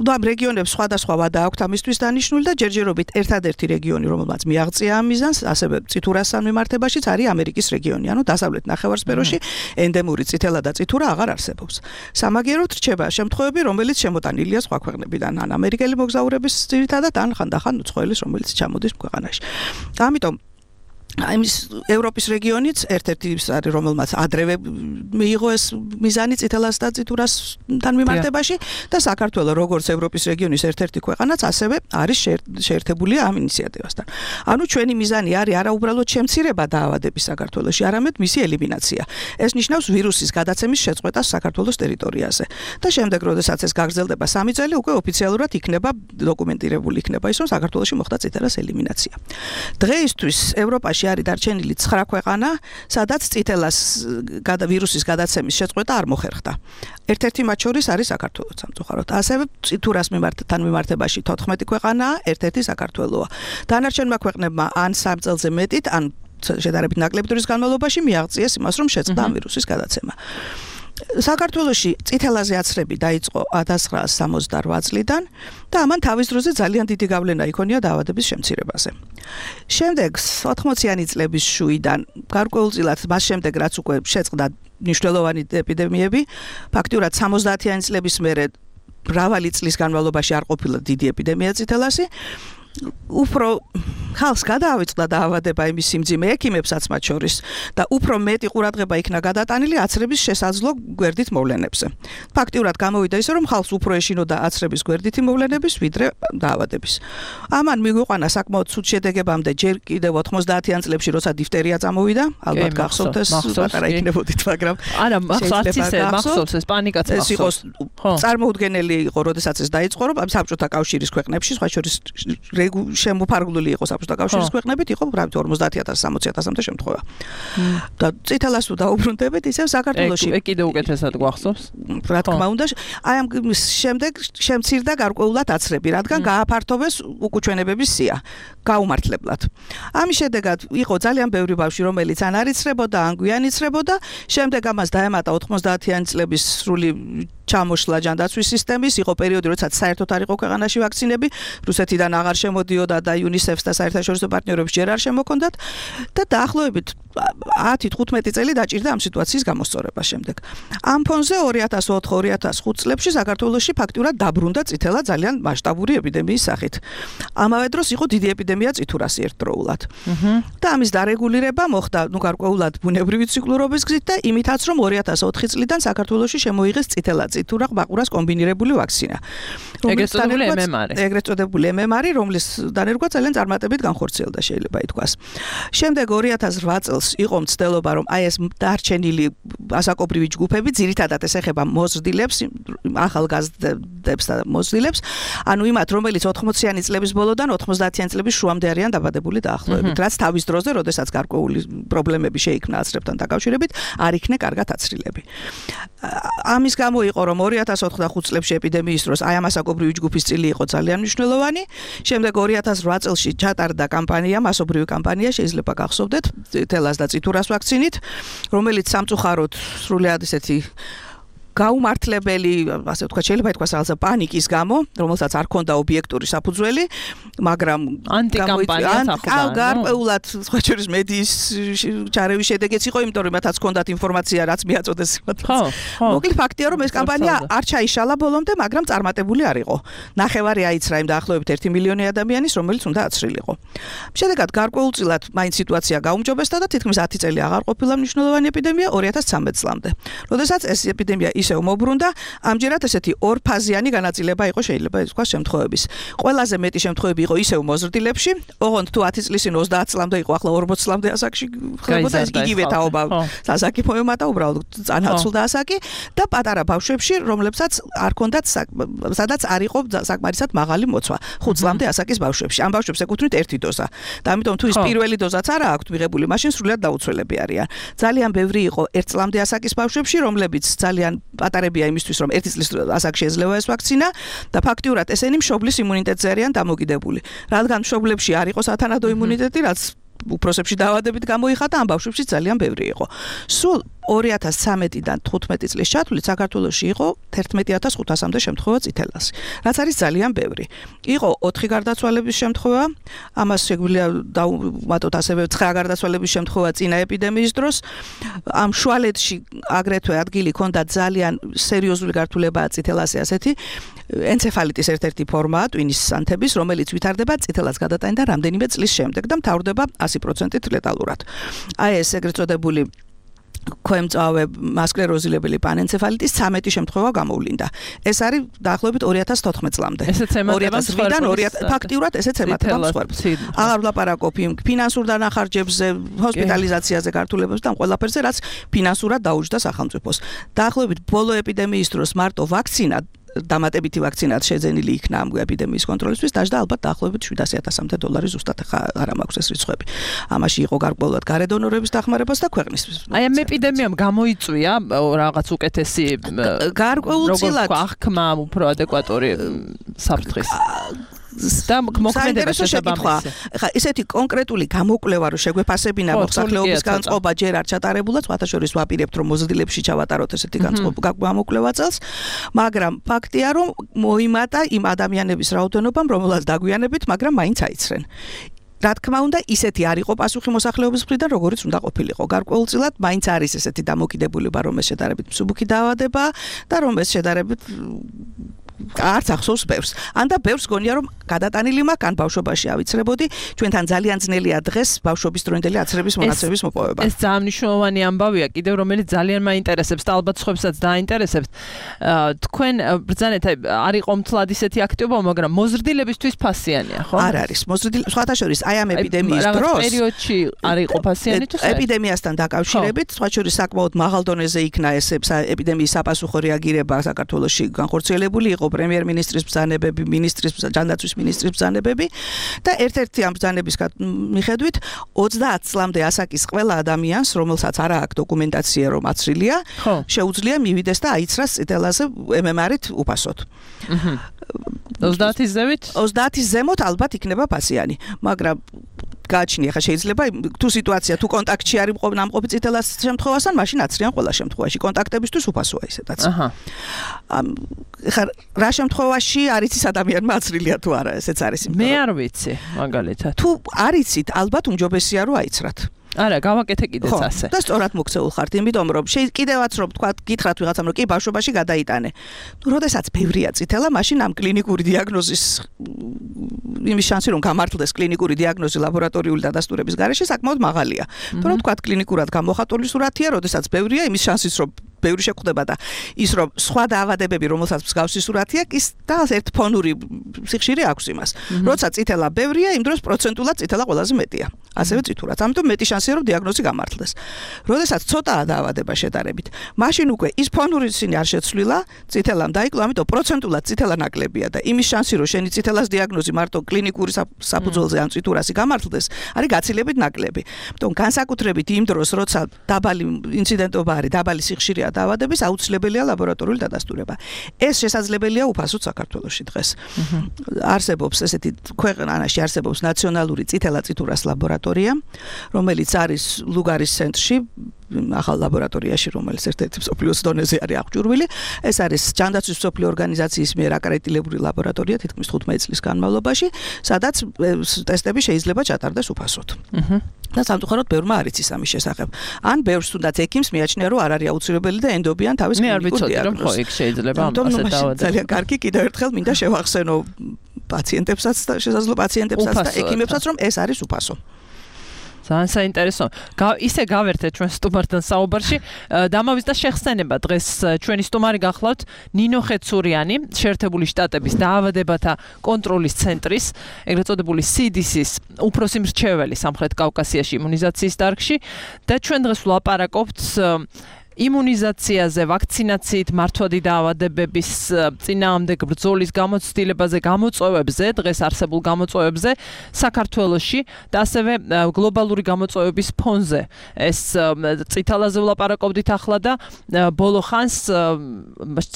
და ამ რეგიონებს სხვადასხვა ვადა აქვთ ამისთვის დანიშნული და ჯერჯერობით ერთადერთი რეგიონი, რომელმაც მიაღწია ამ მიზანს, ასევე წითურასთან მიმართებაშიც არის ამერიკის რეგიონი, ანუ დასავლეთ ნახევარსფეროში ენდემური წითელა და წითურა აღარ არსებობს. სამაგიეროდ რჩება შემთხვევები, რომელიც შემოტანილია სხვა ქვეყნებიდან, ან ამერიკელი მოგზაურების ძირითადად, ან ხანდახან უცხოელის, რომელიც ჩამოდის ქვეყანაში. ამიტომ ამის ევროპის რეგიონიც ერთ-ერთი ის არის რომელმაც ადრევე მიიღო ეს მიზანი წითელას და წიტურასთან მიმართებაში და საქართველოს როგორც ევროპის რეგიონის ერთ-ერთი ქვეყანაც ასევე არის შეერთებული ამ ინიციატივასთან. ანუ ჩვენი მიზანი არის არა უბრალოდ შემცირება დაავადების საქართველოში, არამედ მისი ელიმინაცია. ეს ნიშნავს ვირუსის გადაცემის შეწყვეტას საქართველოს ტერიტორიაზე. და შემდეგ, როდესაც ეს გაგრძელდება სამი წელი, უკვე ოფიციალურად იქნება დოკუმენტირებული იქნება ის, რომ საქართველოში მოხდა წითელას ელიმინაცია. დღეისთვის ევროპაში არის დარჩენილი ცხრა ქვეყანა, სადაც წითელას ვირუსის გადაცემის შეწყვეტა არ მოხერხდა. ერთ-ერთი მათ შორის არის საქართველოს სამწუხაროდ. ასევე წითურას მიმართთან მიმართებაში თოთხმეტი ქვეყანაა, ერთ-ერთი საქართველოა. დანარჩენმა ქვეყნებმა ან სამ წელზე მეტით, ან შედარებით ნაკლები დროის განმავლობაში მიაღწიეს იმას, რომ შეწყდა ამ ვირუსის გადაცემა. საქართველოში წითელაზე აცრები დაიწყო ათას ცხრაასი სამოცდარვა წლიდან და ამან თავის დროზე ძალიან დიდი გავლენა იქონია დაავადების შემცირებაზე. შემდეგ ოთხმოციანი წლების შუიდან გარკვეულწილად მას შემდეგ რაც უკვე შეწყდა მნიშვნელოვანი ეპიდემიები, ფაქტიურად სამოცდაათიანი წლების მერე მრავალი წლის განმავლობაში არ ყოფილა დიდი ეპიდემია წითელასი. უფრო ხალხს გადაავიწყდა დაავადება იმის სიმძიმე ექიმებსაც მათ შორის და უფრო მეტი ყურადღება იქნა გადატანილი აცრების შესაძლო გვერდით მოვლენებზე. ფაქტიურად გამოვიდა ისე, რომ ხალხს უფრო ეშინოდა აცრების გვერდითი მოვლენების, ვიდრე დაავადების. ამან მიგვიყვანა საკმაოდ ცუდ შედეგებამდე ჯერ კიდევ ოთხმოცდაათიან წლებში, როცა დიფტერია წამოვიდა, ალბათ გახსოვთ ეს პატარა იქნებოდით, მაგრამ არა, მახსოვს ისე, მახსოვს ეს პანიკაც მახსოვს. ეს იყო წარმოუდგენელი იყო, როდესაც ეს დაიწყო, რომ საბჭოთა კავშირის ქვეყნებში, სხვა შორის შემოფარგლული იყო საბჭოთა კავშირის ქვეყნებით, იყო გრამით ორმოცდაათი ათასი სამოცი ათასამდე შემთხვევა. და წითელას თუ დაუბრუნდებით, ისევ საქართველოში ეგ კიდე უკეთესად გვახსოვს. რა თქმა უნდა, აი ამ შემდეგ შემცირდა გარკვეულად აცრები, რადგან გააფართოვეს უკუჩვენებების სია, გაუმართლებლად. ამის შედეგად იყო ძალიან ბევრი ბავშვი, რომელიც ან არ იცრებოდა, ან გვიან იცრებოდა, შემდეგ ამას დაემატა ოთხმოცდაათიანი წლების სრული ჩამოშლა ჯანდაცვის სისტემის, იყო პერიოდი, როდესაც საერთოდ არ იყო ქვეყანაში ვაქცინები, რუსეთიდან აღარ შემოდიოდა და იუნისეფს და საერთაშორისო პარტნიორებს ჯერ არ შემოქონდათ და დაახლოებით ათი თხუთმეტი წელი დაჭირდა ამ სიტუაციის გამოსწორება შემდეგ. ამ ფონზე ორი ათას ოთხ ორი ათას ხუთ წლებში საქართველოში ფაქტიურად დაბრუნდა წითელა ძალიან მასშტაბური ეპიდემიის სახით. ამავე დროს იყო დიდი ეპიდემია წითურასი ერთდროულად. და ამის დარეგულირება მოხდა, ნუ გარკვეულად ბუნებრივი ციკლურობის გზით და იმითაც, რომ ორი ათას ოთხი წლიდან საქართველოში შემოიღეს წითელა წითურა ყბაყურას კომბინირებული ვაქცინა. ეგრეთ წოდებული ემ ემ არი. ეგრეთ წოდებული ემ ემ არი, რომლის დანერგვა ძალიან წარმატებით განხორციელდა, შეიძლება ითქვას. შემდეგ ორი ათას რვა წელს იყო მცდელობა, რომ აი ეს დარჩენილი ასაკობრივი ჯგუფები, ძირითადად ეს ეხება მოზრდილებს, ახალგაზრდებს და მოზრდილებს, ანუ იმათ, რომელიც ოთხმოციანი წლების ბოლოდან ოთხმოცდაათიანი წლების შუამდე არიან დაბადებული დაახლოებით, რაც თავის დროზე, როდესაც გარკვეული პრობლემები შეიქმნა აცრებთან დაკავშირებით, არ იქნა კარგად აცრილები. ამის გამო იყო, რომ ორი ათას ოთხ და ხუთ წლებში ეპიდემიის დროს აი ამ ასაკობრივი ჯგუფის წილი იყო ძალიან მნიშვნელოვანი. შემდეგ ორი ათას რვა წელში ჩატარდა კამპანია, მასობრივი კამპანია, შეიძლება გახსოვდეთ, წითელას და წითურას ვაქცინით, რომელიც სამწუხაროდ სრულიად ესეთი გაუმართლებელი, ასე ვთქვათ, შეიძლება ითქვას რაღაცა პანიკის გამო, რომელსაც არ ჰქონდა ობიექტური საფუძველი, მაგრამ ანტიკამპანიაც ახლდა. გარკვეულად სხვა შორის მედიის ჩარევის შედეგიც იყო, იმიტომ რომ მათაც ჰქონდათ ინფორმაცია, რაც მიაწოდეს იმათ. მოკლედ ფაქტია, რომ ეს კამპანია არ ჩაიშალა ბოლომდე, მაგრამ წარმატებული არ იყო. ნახევარი აიცრა იმ დაახლოებით ერთი მილიონი ადამიანის, რომელიც უნდა აცრილიყო. შედეგად გარკვეულწილად მაინც სიტუაცია გაუმჯობესდა და თითქმის ათი წელი აღარ ყოფილა მნიშვნელოვანი ეპიდემია ორი ათას ცხრამეტ წლამდე. როდესაც ეს ეპიდემია ისევ მობრუნდა, ამჯერად ესეთი ორფაზიანი განაწილება იყო შეიძლება ითქვას შემთხვევების. ყველაზე მეტი შემთხვევები იყო ისევ მოზრდილებში, ოღონდ თუ ათი წლის წინ ოცდაათ წლამდე იყო, ახლა ორმოცი წლამდე ასაკში ხდებოდა ეს იგივე თაობა. ასაკი მოემატა უბრალოდ წანაცვლდა ასაკი და პატარა ბავშვებში, რომლებსაც არ ჰქონდათ სადაც არ იყო საკმარისად მაღალი მოცვა. ხუთ წლამდე ასაკის ბავშვებში. ამ ბავშვებს ეკუთვნით ერთი დოზა. და ამიტომ თუ ის პირველი დოზაც არა აქვთ მიღებული, მაშინ სრულად დაუცველები არიან. ძალიან ბევრი იყო ერთ წლამდე ასაკის ბავშვებში, რომლებიც ძალიან პატარებია იმისთვის, რომ ერთი წლის ასაკში ეძლევა ეს ვაქცინა და ფაქტიურად ესენი მშობლის იმუნიტეტზე არიან დამოკიდებული. რადგან მშობლებში არ იყო სათანადო იმუნიტეტი, რაც უფროსებში დაავადებით გამოიხატა, ამ ბავშვებში ძალიან ბევრი იყო. სულ ორი ათას ცხრამეტიდან თხუთმეტი წლის ჩათვლით საქართველოში იყო თერთმეტი ათას ხუთასამდე შემთხვევა წითელას, რაც არის ძალიან ბევრი. იყო ოთხი გარდაცვალების შემთხვევა, ამას შეგვიძლია დავუმატოთ ასევე ცხრა გარდაცვალების შემთხვევა წინა ეპიდემიის დროს. ამ შუალედში აგრეთვე ადგილი ჰქონდა ძალიან სერიოზული გართულებაა წითელასი, ასეთი ენცეფალიტის ერთ-ერთი ფორმაა, ტვინის ანთების, რომელიც ვითარდება წითელას გადატანიდან რამდენიმე წლის შემდეგ და მთავრდება ათი პროცენტით ლეტალურად. აი ეს ეგრეთ წოდებული ქვემწავე მასკლეროზილებელი პანენცეფალიტის ცამეტი შემთხვევა გამოვლინდა. ეს არის დაახლოებით ორი ათას თოთხმეტ წლამდე. ორი ათას რვიდან ფაქტიურად ესეც ემატება მსხვერპლს. აღარ ვლაპარაკობ იმ ფინანსურ დანახარჯებზე, ჰოსპიტალიზაციაზე, გართულებებზე და ყველაფერზე, რაც ფინანსურად დაუჯდა სახელმწიფოს. დაახლოებით ბოლო ეპიდემიის დროს მარტო ვაქცინა დამატებითი ვაქცინაც შეძენილი იქნა ამ ეპიდემიის კონტროლისთვის, დაждდა ალბათ დაახლოებით შვიდასი ათასამდე დოლარი ზუსტად ხა არ მაქვს ეს რიცხვები. ამაში იყო გარკვეულად გარედონორების დახმარებას და ქვეყნისთვის. აი ამ ეპიდემიამ გამოიწვია რაღაც უკეთესი გარკვეულწილად აღქმა უფრო ადეკვატური საფრთხის და მოქმედება შესაბამისი. ხა ისეთი კონკრეტული გამოკვლევა რო შეგვეფასებინა მოსახლეობის განწყობა ჯერ არ ჩატარებულა, სხვათა შორის ვაპირებთ რომ მოზრდილებში ჩავატაროთ ესეთი განწყობა გამოკვლევა წელს, მაგრამ ფაქტია რომ მოიმატა იმ ადამიანების რაოდენობამ, რომელსაც დაგვიანებით, მაგრამ მაინც აიცრენ. რა თქმა უნდა, ისეთი არ იყო პასუხი მოსახლეობის მხრიდან, როგორიც უნდა ყოფილიყო. გარკვეულწილად მაინც არის ესეთი დამოკიდებულება, რომ ეს შედარებით მსუბუქი დაავადება და რომ ეს შედარებით არც ახსოვს ბევრს. ან და ბევრს გონია რომ გადატანილი მაქვს, ან ბავშვობაში ავიცრებოდი, ჩვენთან ძალიან ძნელია დღეს ბავშვობის დროინდელი აცრების მონაცემების მოპოვება. ეს ძალიან მნიშვნელოვანი ამბავია, კიდევ რომელიც ძალიან მაინტერესებს და ალბათ სხვებსაც დაინტერესებთ. თქვენ ბრძანეთ, არ იყო მთლად ისეთი აქტივობა, მაგრამ მოზრდილებისთვის ფასიანია, ხო? არ არის. მოზრდილი სხვათა შორის აი ამ ეპიდემიის დროს პერიოდში არ იყო ფასიანი თუ საერთოდ? ეპიდემიასთან დაკავშირებით, სხვათა შორის საკმაოდ მაღალ დონეზე იქნა ეს ეპიდემიის საპასუხო რეაგირება საქართველოში განხორციელებული იყო პრემიერ-მინისტრის ბრძანებები, მინისტრის ჯანდაცვის მინისტრის ბრძანებები და ერთ-ერთი ამ ბრძანების მიხედვით ოცდაათ წლამდე ასაკის ყველა ადამიანს, რომელსაც არ აქვს დოკუმენტაცია რომ აცრილია, შეუძლია მივიდეს და აიცრას წითელაზე эм эм эр-ით უფასოდ. ოცდაათის ზევით? ოცდაათის ზემოთ ალბათ იქნება ფასიანი, მაგრამ გააჩნია ხა შეიძლება თუ სიტუაცია თუ კონტაქტში არის ნამყოფი წითელას შემთხვევასთან, მაშინ აცრიან ყველა შემთხვევაში. კონტაქტებისთვის უფასოა ისედაც. აჰა. ხა რა შემთხვევაში არის ის ადამიანმა აცრილია თუ არა, ესეც არის. მე არ ვიცი, მაგალითად. თუ არიცით, ალბათ უმჯობესია რომ აიცრათ. არა, გავაკეთე კიდეც ასე. და სწორად მოქცეულ ხართ, იმიტომ რომ კიდევაც რომ თქვა, გითხრათ ვიღაცამ რომ კი ბავშვობაში გადაიტანე. ნუ როდესაც ბევრია წითელა, მაშინ ამ კლინიკური დიაგნოზის იმის შანსი რომ გამართლდეს კლინიკური დიაგნოზი ლაბორატორიული დადასტურების გარეშე საკმაოდ მაღალია. თუ რომ თქვა კლინიკურად გამოხატული სურათია, როდესაც ბევრია, იმის შანსიც რომ ბევრი შეხვდება და ის რომ სხვა დაავადებები, რომელსაც მსგავსი სურათია, ის და ერთ ფონური სიხშირე აქვს იმას. როცა წითელა ბევრია, იმ დროს პროცენტულად წითელა ყველაზე მეტია. ასევე წითურად. ამიტომ მეტი შანსია რომ დიაგნოზი გამართლდეს. როდესაც ცოტაა დაავადება შედარებით, მაშინ უკვე ის ფონური სინი არ შეცვლილა, წითელამ დაიკლო, ამიტომ პროცენტულად წითელა ნაკლებია და იმის შანსი რომ შენი წითელას დიაგნოზი მარტო კლინიკური საფუძველზე ან წითურასი გამართლდეს, არის გაცილებით ნაკლები. ამიტომ განსაკუთრებით იმ დროს, როცა დაბალი ინციდენტობა არის, დაბალი სიხშირეა დაავადების, აუცილებელია ლაბორატორიული დადასტურება. ეს შესაძლებელია უფასოდ საქართველოში დღეს. არსებობს ესეთი ქვეყანაში არსებობს ნაციონალური წითელა წითურას ლაბორატორია, რომელიც არის ლუგარის ცენტრში, ახალ ლაბორატორიაში, რომელიც ერთ-ერთი მსოფლიოს დონეზე არის აღჭურვილი. ეს არის ჯანდაცვის მსოფლიო ორგანიზაციის მიერ აკრედიტებული ლაბორატორია თითქმის თხუთმეტი წლის განმავლობაში, სადაც ტესტები შეიძლება ჩატარდეს უფასოდ. და სამწუხაროდ ბევრმა არ იცის ამის შესახებ. ან ბევრს თუნდაც ექიმს მიაჩნია, რომ არ არის აუცილებელი და ენდობიან თავის კლინიკურ დიაგნოზს. ხო, იქ შეიძლება ამ ასე დავადო. ძალიან კარგი, კიდევ ერთხელ მინდა შევახსენო პაციენტებსაც და შესაძლო პაციენტებსაც და ექიმებსაც, რომ ეს არის უფასო. ძალიან საინტერესო. ისე გავერთეთ ჩვენ სტუმართან საუბარში. დამავის და შეხსენება დღეს ჩვენი სტუმარი გახლავთ ნინო ხეცურიანი, შეერთებული შტატების დაავადებათა კონტროლის ცენტრის, ეგრეთ წოდებული სი დი სის უფროსი მრჩეველი სამხრეთ კავკასიაში იმუნიზაციის დარგში და ჩვენ დღეს ვლაპარაკობთ იმუნიზაციაზე, ვაქცინაციით მართვადი დაავადებების წინააღმდეგ ბრძოლის გამოცდილებაზე, გამოწვევებზე, დღეს არსებულ გამოწვევებზე საქართველოში და ასევე გლობალური გამოწვევების ფონზე. ეს წითელაზე ვლაპარაკობდით ახლა და ბოლო ხანს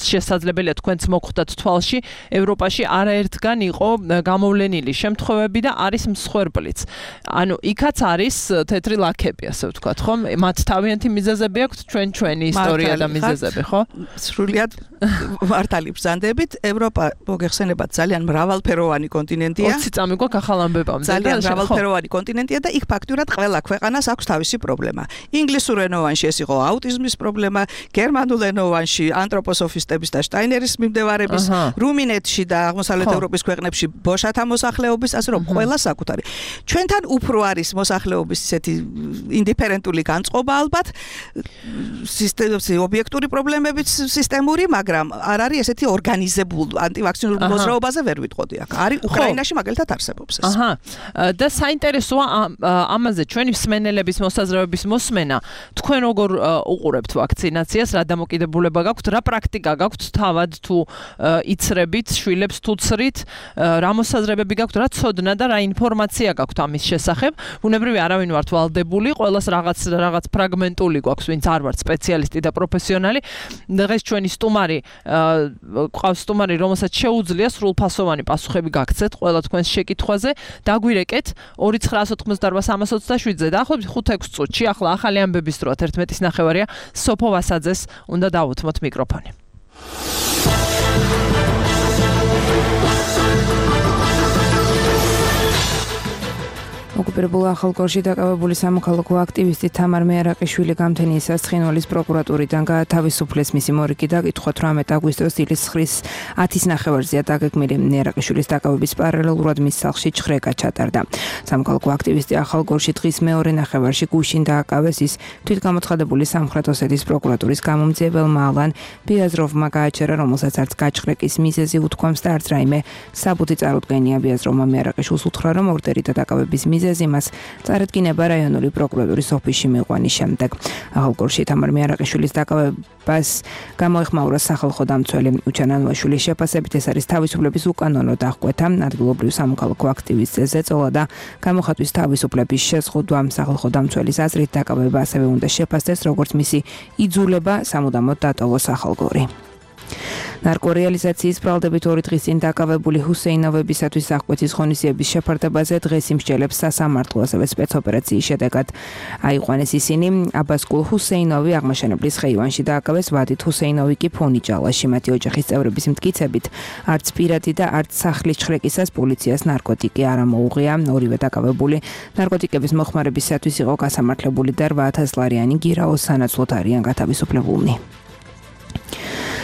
შესაძლებელია თქვენც მოხვდათ თვალში, ევროპაში არაერთგან იყო გამოვლენილი შემთხვევები და არის მსხვერპლიც. ანუ იქაც არის თეთრი ლაქები, ასე ვთქვათ, ხომ? მათ თავიანთი მიზეზები აქვთ, ჩვენ ჩვენ ჩვენი ისტორია და მიზეზები, ხო? სრულიად მართალი ბრძანდებით, ევროპა მოგეხსენებათ ძალიან მრავალფეროვანი კონტინენტია. ოცი წამი გვაქვს ახალ ამბებამდე. ძალიან მრავალფეროვანი კონტინენტია და იქ ფაქტურად ყველა ქვეყანას აქვს თავისი პრობლემა. ინგლისურენოვანში ეს იყო აუტიზმის პრობლემა, გერმანულენოვანში ანთროპოსოფისტების და შტაინერის მიმდევარების, რუმინეთში და აღმოსავლეთ ევროპის ქვეყნებში ბოშათა მოსახლეობის, ასე რომ ყველა საკუთარი. ჩვენთან უფრო არის მოსახლეობის ისეთი ინდიფერენტული განწყობა ალბათ, სისტემის ობიექტური პრობლემებიც სისტემური, მაგრამ არ არის ესეთი ორგანიზებული ანტივაქცინური მოძრაობაზე ვერ ვიტყოდი აქ. არის უკრაინაში მაგალითად არსებობს ეს. აჰა. და საინტერესოა ამაზე ჩვენი მსმენელების მოსაზრებების მოსმენა. თქვენ როგორ უყურებთ ვაქცინაციას, რა დამოკიდებულება გაქვთ, რა პრაქტიკა გაქვთ თავად თუ იცრებით, შვილებს თუ ცრით, რა მოსაზრებები გაქვთ, რა ცოდნა და რა ინფორმაცია გაქვთ ამის შესახებ. ბუნებრივი არავინ ვართ ვალდებული, ყველას რაღაც რაღაც ფრაგმენტული გვაქვს, ვინც არ ვართ სპეციალისტი და პროფესიონალი. დღეს ჩვენი სტუმარი, ყავს სტუმარი, რომელსაც შეუძლია სრულფასოვანი პასუხები გაგცეთ ყველა თქვენს შეკითხვაზე. დაგვირეკეთ ორი ცხრა ათი ოთხ სამას ოცდაშვიდზე და ახლა ხუთ-ექვს წუთში, ახლა ახალი ამბების დროა თერთმეტის ნახევარია, სოფო ვასაძეს უნდა დავუთმოთ მიკროფონი. ოკუპირებულ ახალგორში დაკავებული სამოქალაქო აქტივისტი თამარ მეარაყიშვილი გამთენიისას ცხინვალის პროკურატურიდან გაათავისუფლეს. მისი მორიგი დაკითხვა თვრამეტ აგვისტოს დილის ცხრის ათის ნახევარზეა დაგეგმილი. მეარაყიშვილის დაკავების პარალელურად მის სახლში ჩხრეკა ჩატარდა. სამოქალაქო აქტივისტი ახალგორში დღის მეორე ნახევარში გუშინ დააკავეს. ის თვითგამოცხადებული სამხრეთ ოსეთის პროკურატურის გამომძიებელმა ალან ბიაზროვმა გააჩერა, რომელსაც არც გაჩხრეკის მიზეზი უთქვამს და არც რაიმე საბუთი წარუდგენია. ბიაზროვმა მეარაყიშვილს უთხრა, რომ ორდერი და დაკავების მიზეზი იმას წარადგინება რაიონული პროკურატურის ოფისში მიყვანის შემდეგ. ახალგორში თამარ მეარაყიშვილის დაკავებას გამოეხმაურა სახალხო დამცველი უჩანანვაშვილის შეფასებით ეს არის თავისუფლების უკანონო დახკვეთა, ადგილობრივ სამოქალაქო აქტივისტზე ზეწოლა და გამოხატვის თავისუფლების შეზღუდვა. სახალხო დამცველის აზრით დაკავება ასევე უნდა შეფასდეს, როგორც მისი იძულება სამუდამოდ დატოვოს ახალგორი. ნარკორეალიზაციის ბრალდებით ორი დღის წინ დაკავებული ჰუსეინოვებისათვის აღკვეთის ღონისძიების შეფარდებაზე დღეს იმსჯელებს სასამართლო, ასევე სპეცოპერაციის შედეგად აიყვანეს ისინი. აბასკულ ჰუსეინოვი აღმაშენებლის ხეივანში დააკავეს, ვადით ჰუსეინოვი კი ფონიჯალაში. მათი ოჯახის წევრების მტკიცებით არც პირადი და არც სახლის ჩხრეკისას პოლიციას ნარკოტიკი არ ამოუღია. ორივე დაკავებული ნარკოტიკების მოხმარებისათვის იყო გასამართლებული და რვა ათას ლარიანი გირაოს სანაცვლოდ არიან გათავისუფლებულნი.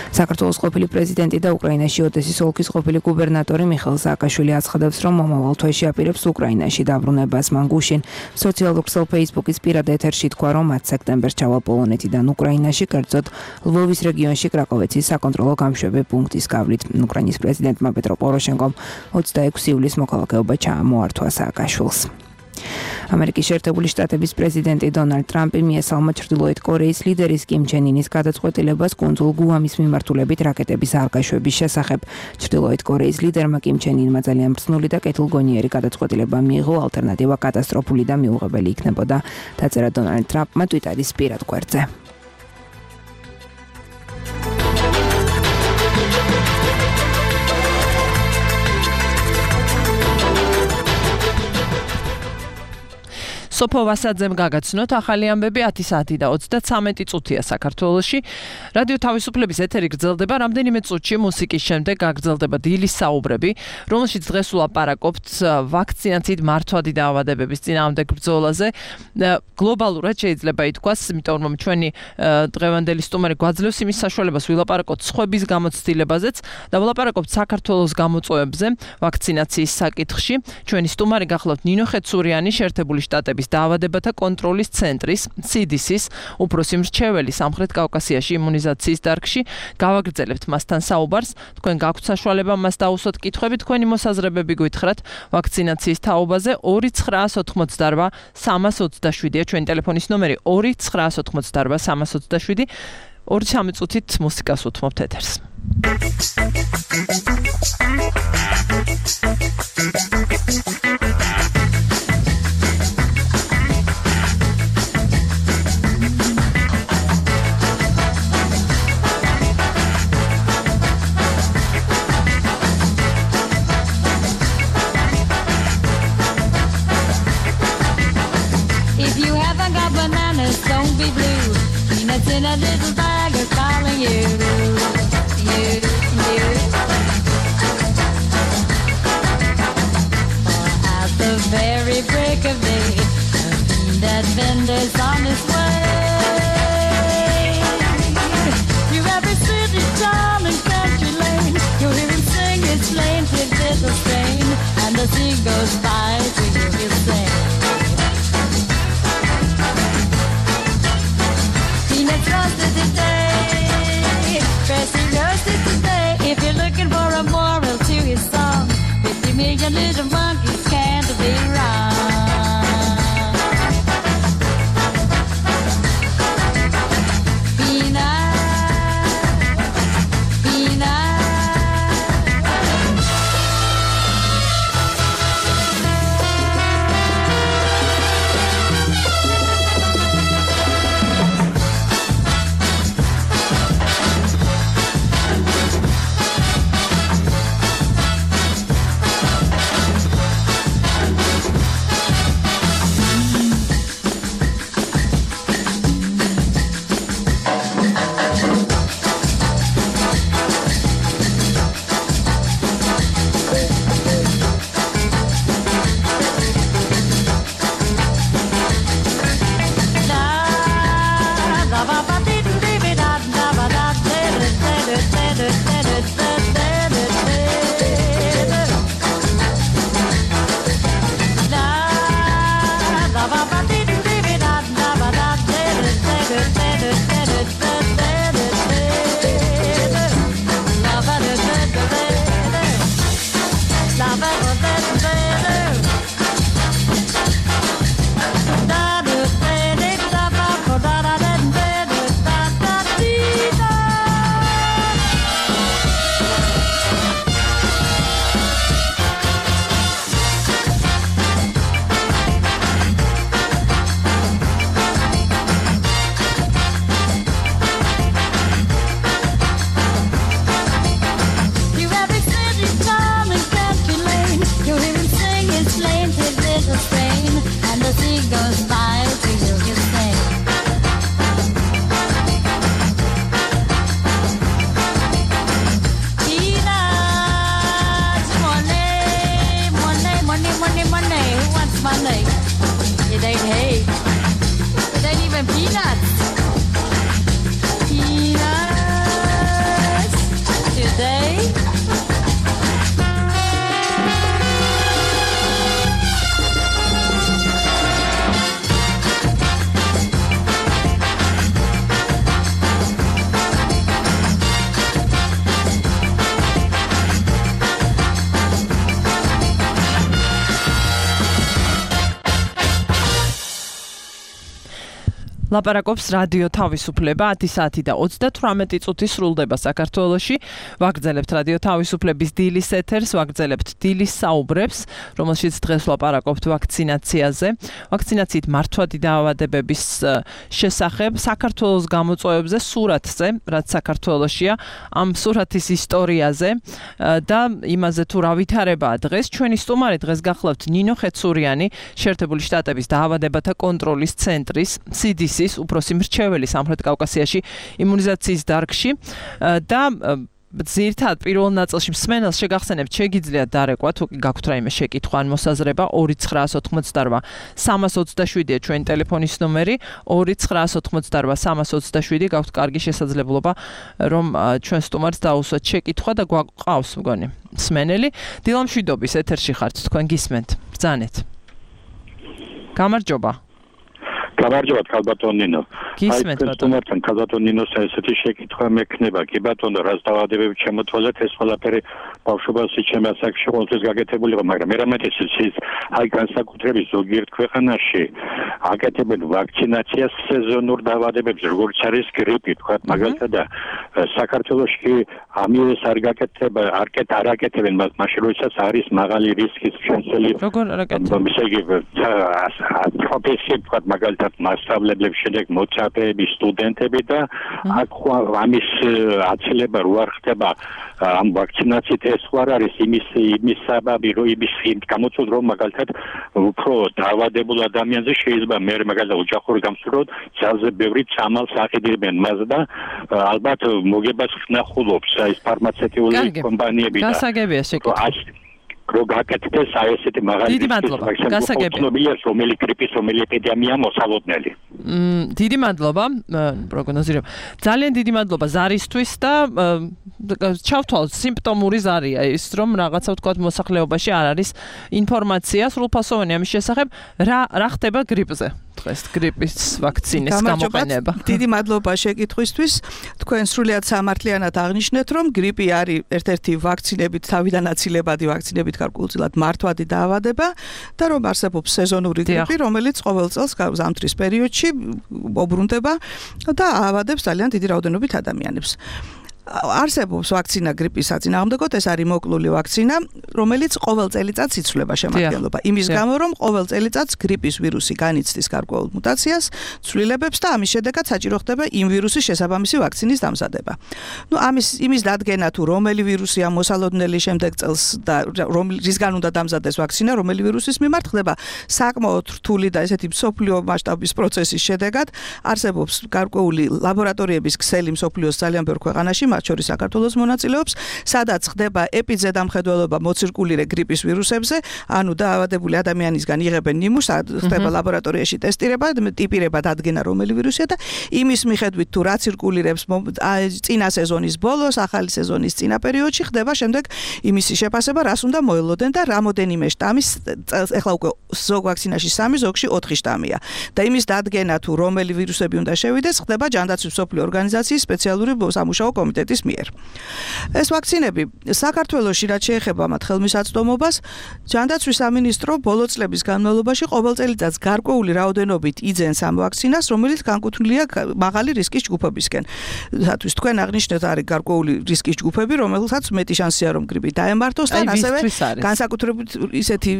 საქართველოს ყოფილი პრეზიდენტი და უკრაინაში ოდესის ოლქის ყოფილი გუბერნატორი მიხეილ სააკაშვილი აცხადებს, რომ მომავალ თვეში აპირებს უკრაინაში დაბრუნებას. მან გუშინ სოციალურ ქსელ ფეისბუქის პირად ეთერში თქვა, რომ ათი სექტემბერს ჩავალ პოლონეთიდან უკრაინაში, კერძოდ ლვოვის რეგიონში კრაკოვეცის საკონტროლო გამშვები პუნქტის გავლით. უკრაინის პრეზიდენტმა პეტრო პოროშენკომ ოცდაექვსი ივლისს მოქალაქეობა ჩაამოართვა სააკაშვილს. ამერიკის შეერთებული შტატების პრეზიდენტი დონალდ ტრამპი მიესალმა ჩრდილოეთ კორეის ლიდერის კიმ ჩენ ინის გადაწყვეტილებას კუნძულ გუამის მიმართულებით რაკეტების არგაშვების შესახებ. ჩრდილოეთ კორეის ლიდერმა კიმ ჩენ ინმა ძალიან ბრძნული და კეთილგონიერი გადაწყვეტილება მიიღო, ალტერნატივა კატასტროფული და მიუღებელი იქნებოდა, დაწერა დონალდ ტრამპმა ტვიტარის პირად გვერდზე. სოფო ვასაძემ გაგაცნოთ ახალი ამბები ათი საათი და ოცდათვრამეტი წუთია საქართველოში. რადიო თავისუფლების ეთერი გრძელდება, რამდენიმე წუთში მუსიკის შემდეგ გაგრძელდება დილის საუბრები, რომელშიც დღეს ვლაპარაკობთ ვაქცინაციით მართვადი დაავადებების წინააღმდეგ ბრძოლაზე. გლობალურად შეიძლება ითქვას, იმიტომ რომ ჩვენი დღევანდელი სტუმარი გვაძლევს იმის საშუალებას ვილაპარაკოთ სხვების გამოცდილებაზეც და ვილაპარაკობთ საქართველოს გამოწვევებზე ვაქცინაციის საკითხში. ჩვენი სტუმარი გახლავთ ნინო ხეცურიანი, შეერთებული შტატების დაავადებათა კონტროლის ცენტრის სი დი სის უფროსი მრჩეველი სამხრეთ კავკასიაში იმუნიზაციის დარგში. გავაგრძელებთ მასთან საუბარს. თქვენ გაქვთ საშუალება მას დაუსვათ კითხვები, თქვენი მოსაზრებები გვითხრათ ვაქცინაციის თაობაზე. ორი ცხრა ათი სამას ოცდაშვიდია ჩვენი ტელეფონის ნომერი, ორი ცხრა ათი სამას ოცდაშვიდი. ორი სამი წუთით მუსიკას უთმობთ ეთერს. If you haven't got bananas, don't be blue. Peanuts in a little bag are calling you, you, you. For at the very break of day, a peanut vendor's on his way. You every city, town, and country lane, you hear him sing his plaintive little strain, and as he goes by, to hear him sing. Peanuts roasted today, dressing roasted today. If you're looking for a moral to his song, fifty million little monkeys can't be wrong. ლაპარაკობს რადიო თავისუფლება ათი საათი და ოცდათვრამეტი წუთი სრულდება საქართველოში. ვაგრძელებთ რადიო თავისუფლების დილის ეთერს, ვაგრძელებთ დილის საუბრებს, რომელშიც დღეს ლაპარაკობთ ვაქცინაციაზე. ვაქცინაციით მართვადი დაავადებების შესახებ, საქართველოს გამოწვევებზე, სურათზე, რაც საქართველოშია, ამ სურათის ისტორიაზე და იმაზე თუ რა ვითარებაა დღეს. ჩვენი სტუმარი დღეს გახლავთ ნინო ხეცურიანი, შეერთებული შტატების დაავადებათა კონტროლის ცენტრის სი დი სი უფროსი მრჩეველი სამხრეთ კავკასიაში იმუნიზაციის დარგში და ზირთად პირველ ნაწილში მსმენელს შეგახსენებთ შეგიძლიათ დარეკვა თუ გაქვთ რაიმე შეკითხვა ან მოსაზრება ორი ცხრაას ოცდაოთხმოცდარვა სამას ოცდაშვიდია ჩვენი ტელეფონის ნომერი ორი ცხრაას ოცდაოთხმოცდარვა სამას ოცდაშვიდი გაქვთ კარგი შესაძლებლობა რომ ჩვენ სტუმარს დაუსვათ შეკითხვა და გვაყავს მგონი მსმენელი დილამშვიდობის ეთერში ხართ თქვენ გისმენთ ბრძანეთ გამარჯობა გამარჯობა ქალბატონ ნინო. გისმენთ ბატონო. ქალბატონ ნინოს ესეთი შეკითხვა მექნება. კი ბატონო, რას დაავადებები შემოთვალეთ ეს ყველაფერი ბავშვობაში ჩემი ასაკში ყოველთვის გაკეთებული იყო, მაგრამ მე რამე ის აი განსაკუთრებით ზოგიერთ ქვეყანაში აკეთებენ ვაქცინაციას სეზონურ დაავადებებზე, როგორც არის გრიპი, თქვა მაგალითად და საქართველოში კი ამის არ გაკეთება, არ აკეთებენ, მაშინ როდესაც არის მაღალი რისკის შემცველი. როგორ არ აკეთებენ? ისე იგი პროფესიით თქვა მაგალითად მასშტაბლებლებს შედეგ მოცა მოქალაქეები, სტუდენტები და აქ ამის აცილება რო არ ხდება ამ ვაქცინაციით ეს არ არის იმის იმის საბაბი რომ იმის გამოწვევ რომ მაგალითად უფრო დაავადებულ ადამიანზე შეიძლება მე მაგალითად ოჯახური გამოსვლად ძალზე ბევრი წამალს აყიდებენ მას და ალბათ მოგებას ხნახულობს ეს ფარმაცევტიული კომპანიები და გასაგებია შეკითხვა რო გაკეთდეს აი ესეთი მაღალი დიდი მადლობა გასაგებია რომელი გრიპის რომელი ეპიდემია მოსალოდნელი დიდი მადლობა პროგნოზირებ ძალიან დიდი მადლობა ზარისთვის და ჩავთვალ სიმპტომური ზარია ის რომ რაღაცა ვთქვათ მოსახლეობაში არ არის ინფორმაცია სრულფასოვანი ამის შესახებ რა რა ხდება გრიპზე დღეს გრიპის ვაქცინის გამოყენება დიდი მადლობა შეკითხვისთვის თქვენ სრულიად სამართლიანად აღნიშნეთ რომ გრიპი არის ერთ-ერთი ვაქცინებით თავიდან აცილებადი ვაქცინებით გარკვეულწილად მართვადი დაავადება და რომ არსებობს სეზონური გრიპი რომელიც ყოველ წელს ზამთრის პერიოდში მოbrunდება და აავადებს ძალიან დიდი რაოდენობით ადამიანებს არსებობს ვაქცინა გრიპის საწინააღმდეგოდ ეს არის მოკლული ვაქცინა რომელიც ყოველ წელიწადს იცვლება შემადგენლობა იმის გამო რომ ყოველ წელიწადს გრიპის ვირუსი განიცდის გარკვეულ მუტაციას ცვლილებებს და ამის შედეგად საჭირო ხდება იმ ვირუსის შესაბამისი ვაქცინის დამზადება ნუ ამის იმის დადგენა თუ რომელი ვირუსია მოსალოდნელი შემდეგ წელს და რისგან უნდა დამზადდეს ვაქცინა რომელი ვირუსის მიმართ ხდება საკმაოდ რთული და ესეთი მსოფლიო მასშტაბის პროცესის შედეგად არსებობს გარკვეული ლაბორატორიების ქსელი მსოფლიოს ძალიან ბევრ ქვეყანაში შორის საქართველოს მონაწილეობს, სადაც ხდება ეპიზედამხედველობა მოცირკულირე გრიპის ვირუსებზე, ანუ დაავადებული ადამიანისგან იღებენ ნიმუშს, ხდება ლაბორატორიაში ტესტირება, ტიპირება დადგენა რომელი ვირუსია და იმის მიხედვით თუ რა ცირკულირებს წინა სეზონის ბოლოს, ახალი სეზონის წინა პერიოდში ხდება შემდეგ იმისი შეფასება, რას უნდა მოელოდენ და რამოდენიმე შტამის ეხლა უკვე ზოგ ვაქცინაში სამი, ზოგში ოთხი შტამია. და იმის დადგენა თუ რომელი ვირუსები უნდა შევიდეს, ხდება ჯანდაცვის მსოფლიო ორგანიზაციის სპეციალური სამუშაო კომიტეტი მიერ. ეს ვაქცინები საქართველოში რაც შეეხება მათ ხელმისაწვდომობას, ჯანდაცვის სამინისტრო ბოლო წლების განმავლობაში ყოველ წელიწადს გარკვეული რაოდენობით იძენს ამ ვაქცინას, რომელიც განკუთვნილია მაღალი რისკის ჯგუფებისკენ. სათვის თქვენ აღნიშნეთ არის გარკვეული რისკის ჯგუფები, რომელსაც მეტი შანსია რომ გრიპი დაემართოს და ასევე განსაკუთრებით ისეთი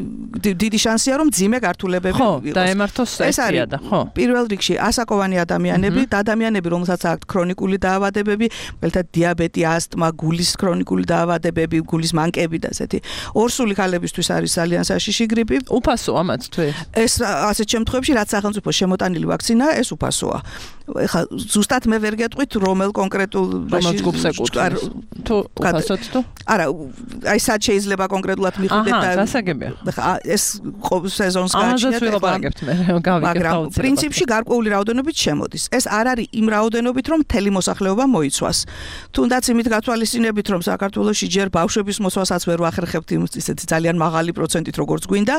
დიდი შანსია რომ ძიმე გართულებები იყოს. ხო, დაემართოს ესია და ხო. პირველ რიგში ასაკოვანი ადამიანები და ადამიანები, რომელსაც აქვთ ქრონიკული დაავადებები, მელთა დიაბეტი, ასტმა, გულის ქრონიკული დაავადებები, გულის მანკები და ესეთი. ორსული ქალებისთვის არის ძალიან საშიში გრიპი. უფასოა მათ თვე. ეს ასეთ შემთხვევებში რაც სახელმწიფო შემოტანილი ვაქცინაა, ეს უფასოა. ეხლა ზუსტად მე ვერ გეტყვით რომელ კონკრეტულ ჯგუფს ეკუთვნის. თუ უფასოდ თუ? არა, აი სად შეიძლება კონკრეტულად მიხვდეთ და აჰა, გასაგებია. ეს სეზონს გააჩნიათ. მაგრამ პრინციპში გარკვეული რაოდენობით შემოდის. ეს არ არის იმ რაოდენობით რომ მთელი მოსახლეობა მოიცვას. თუნდაც იმით გათვალისწინებით რომ საქართველოში ჯერ ბავშვების მოსვასაც ვერ ვახერხებთ ისეთი ძალიან მაღალი პროცენტით როგორც გვინდა,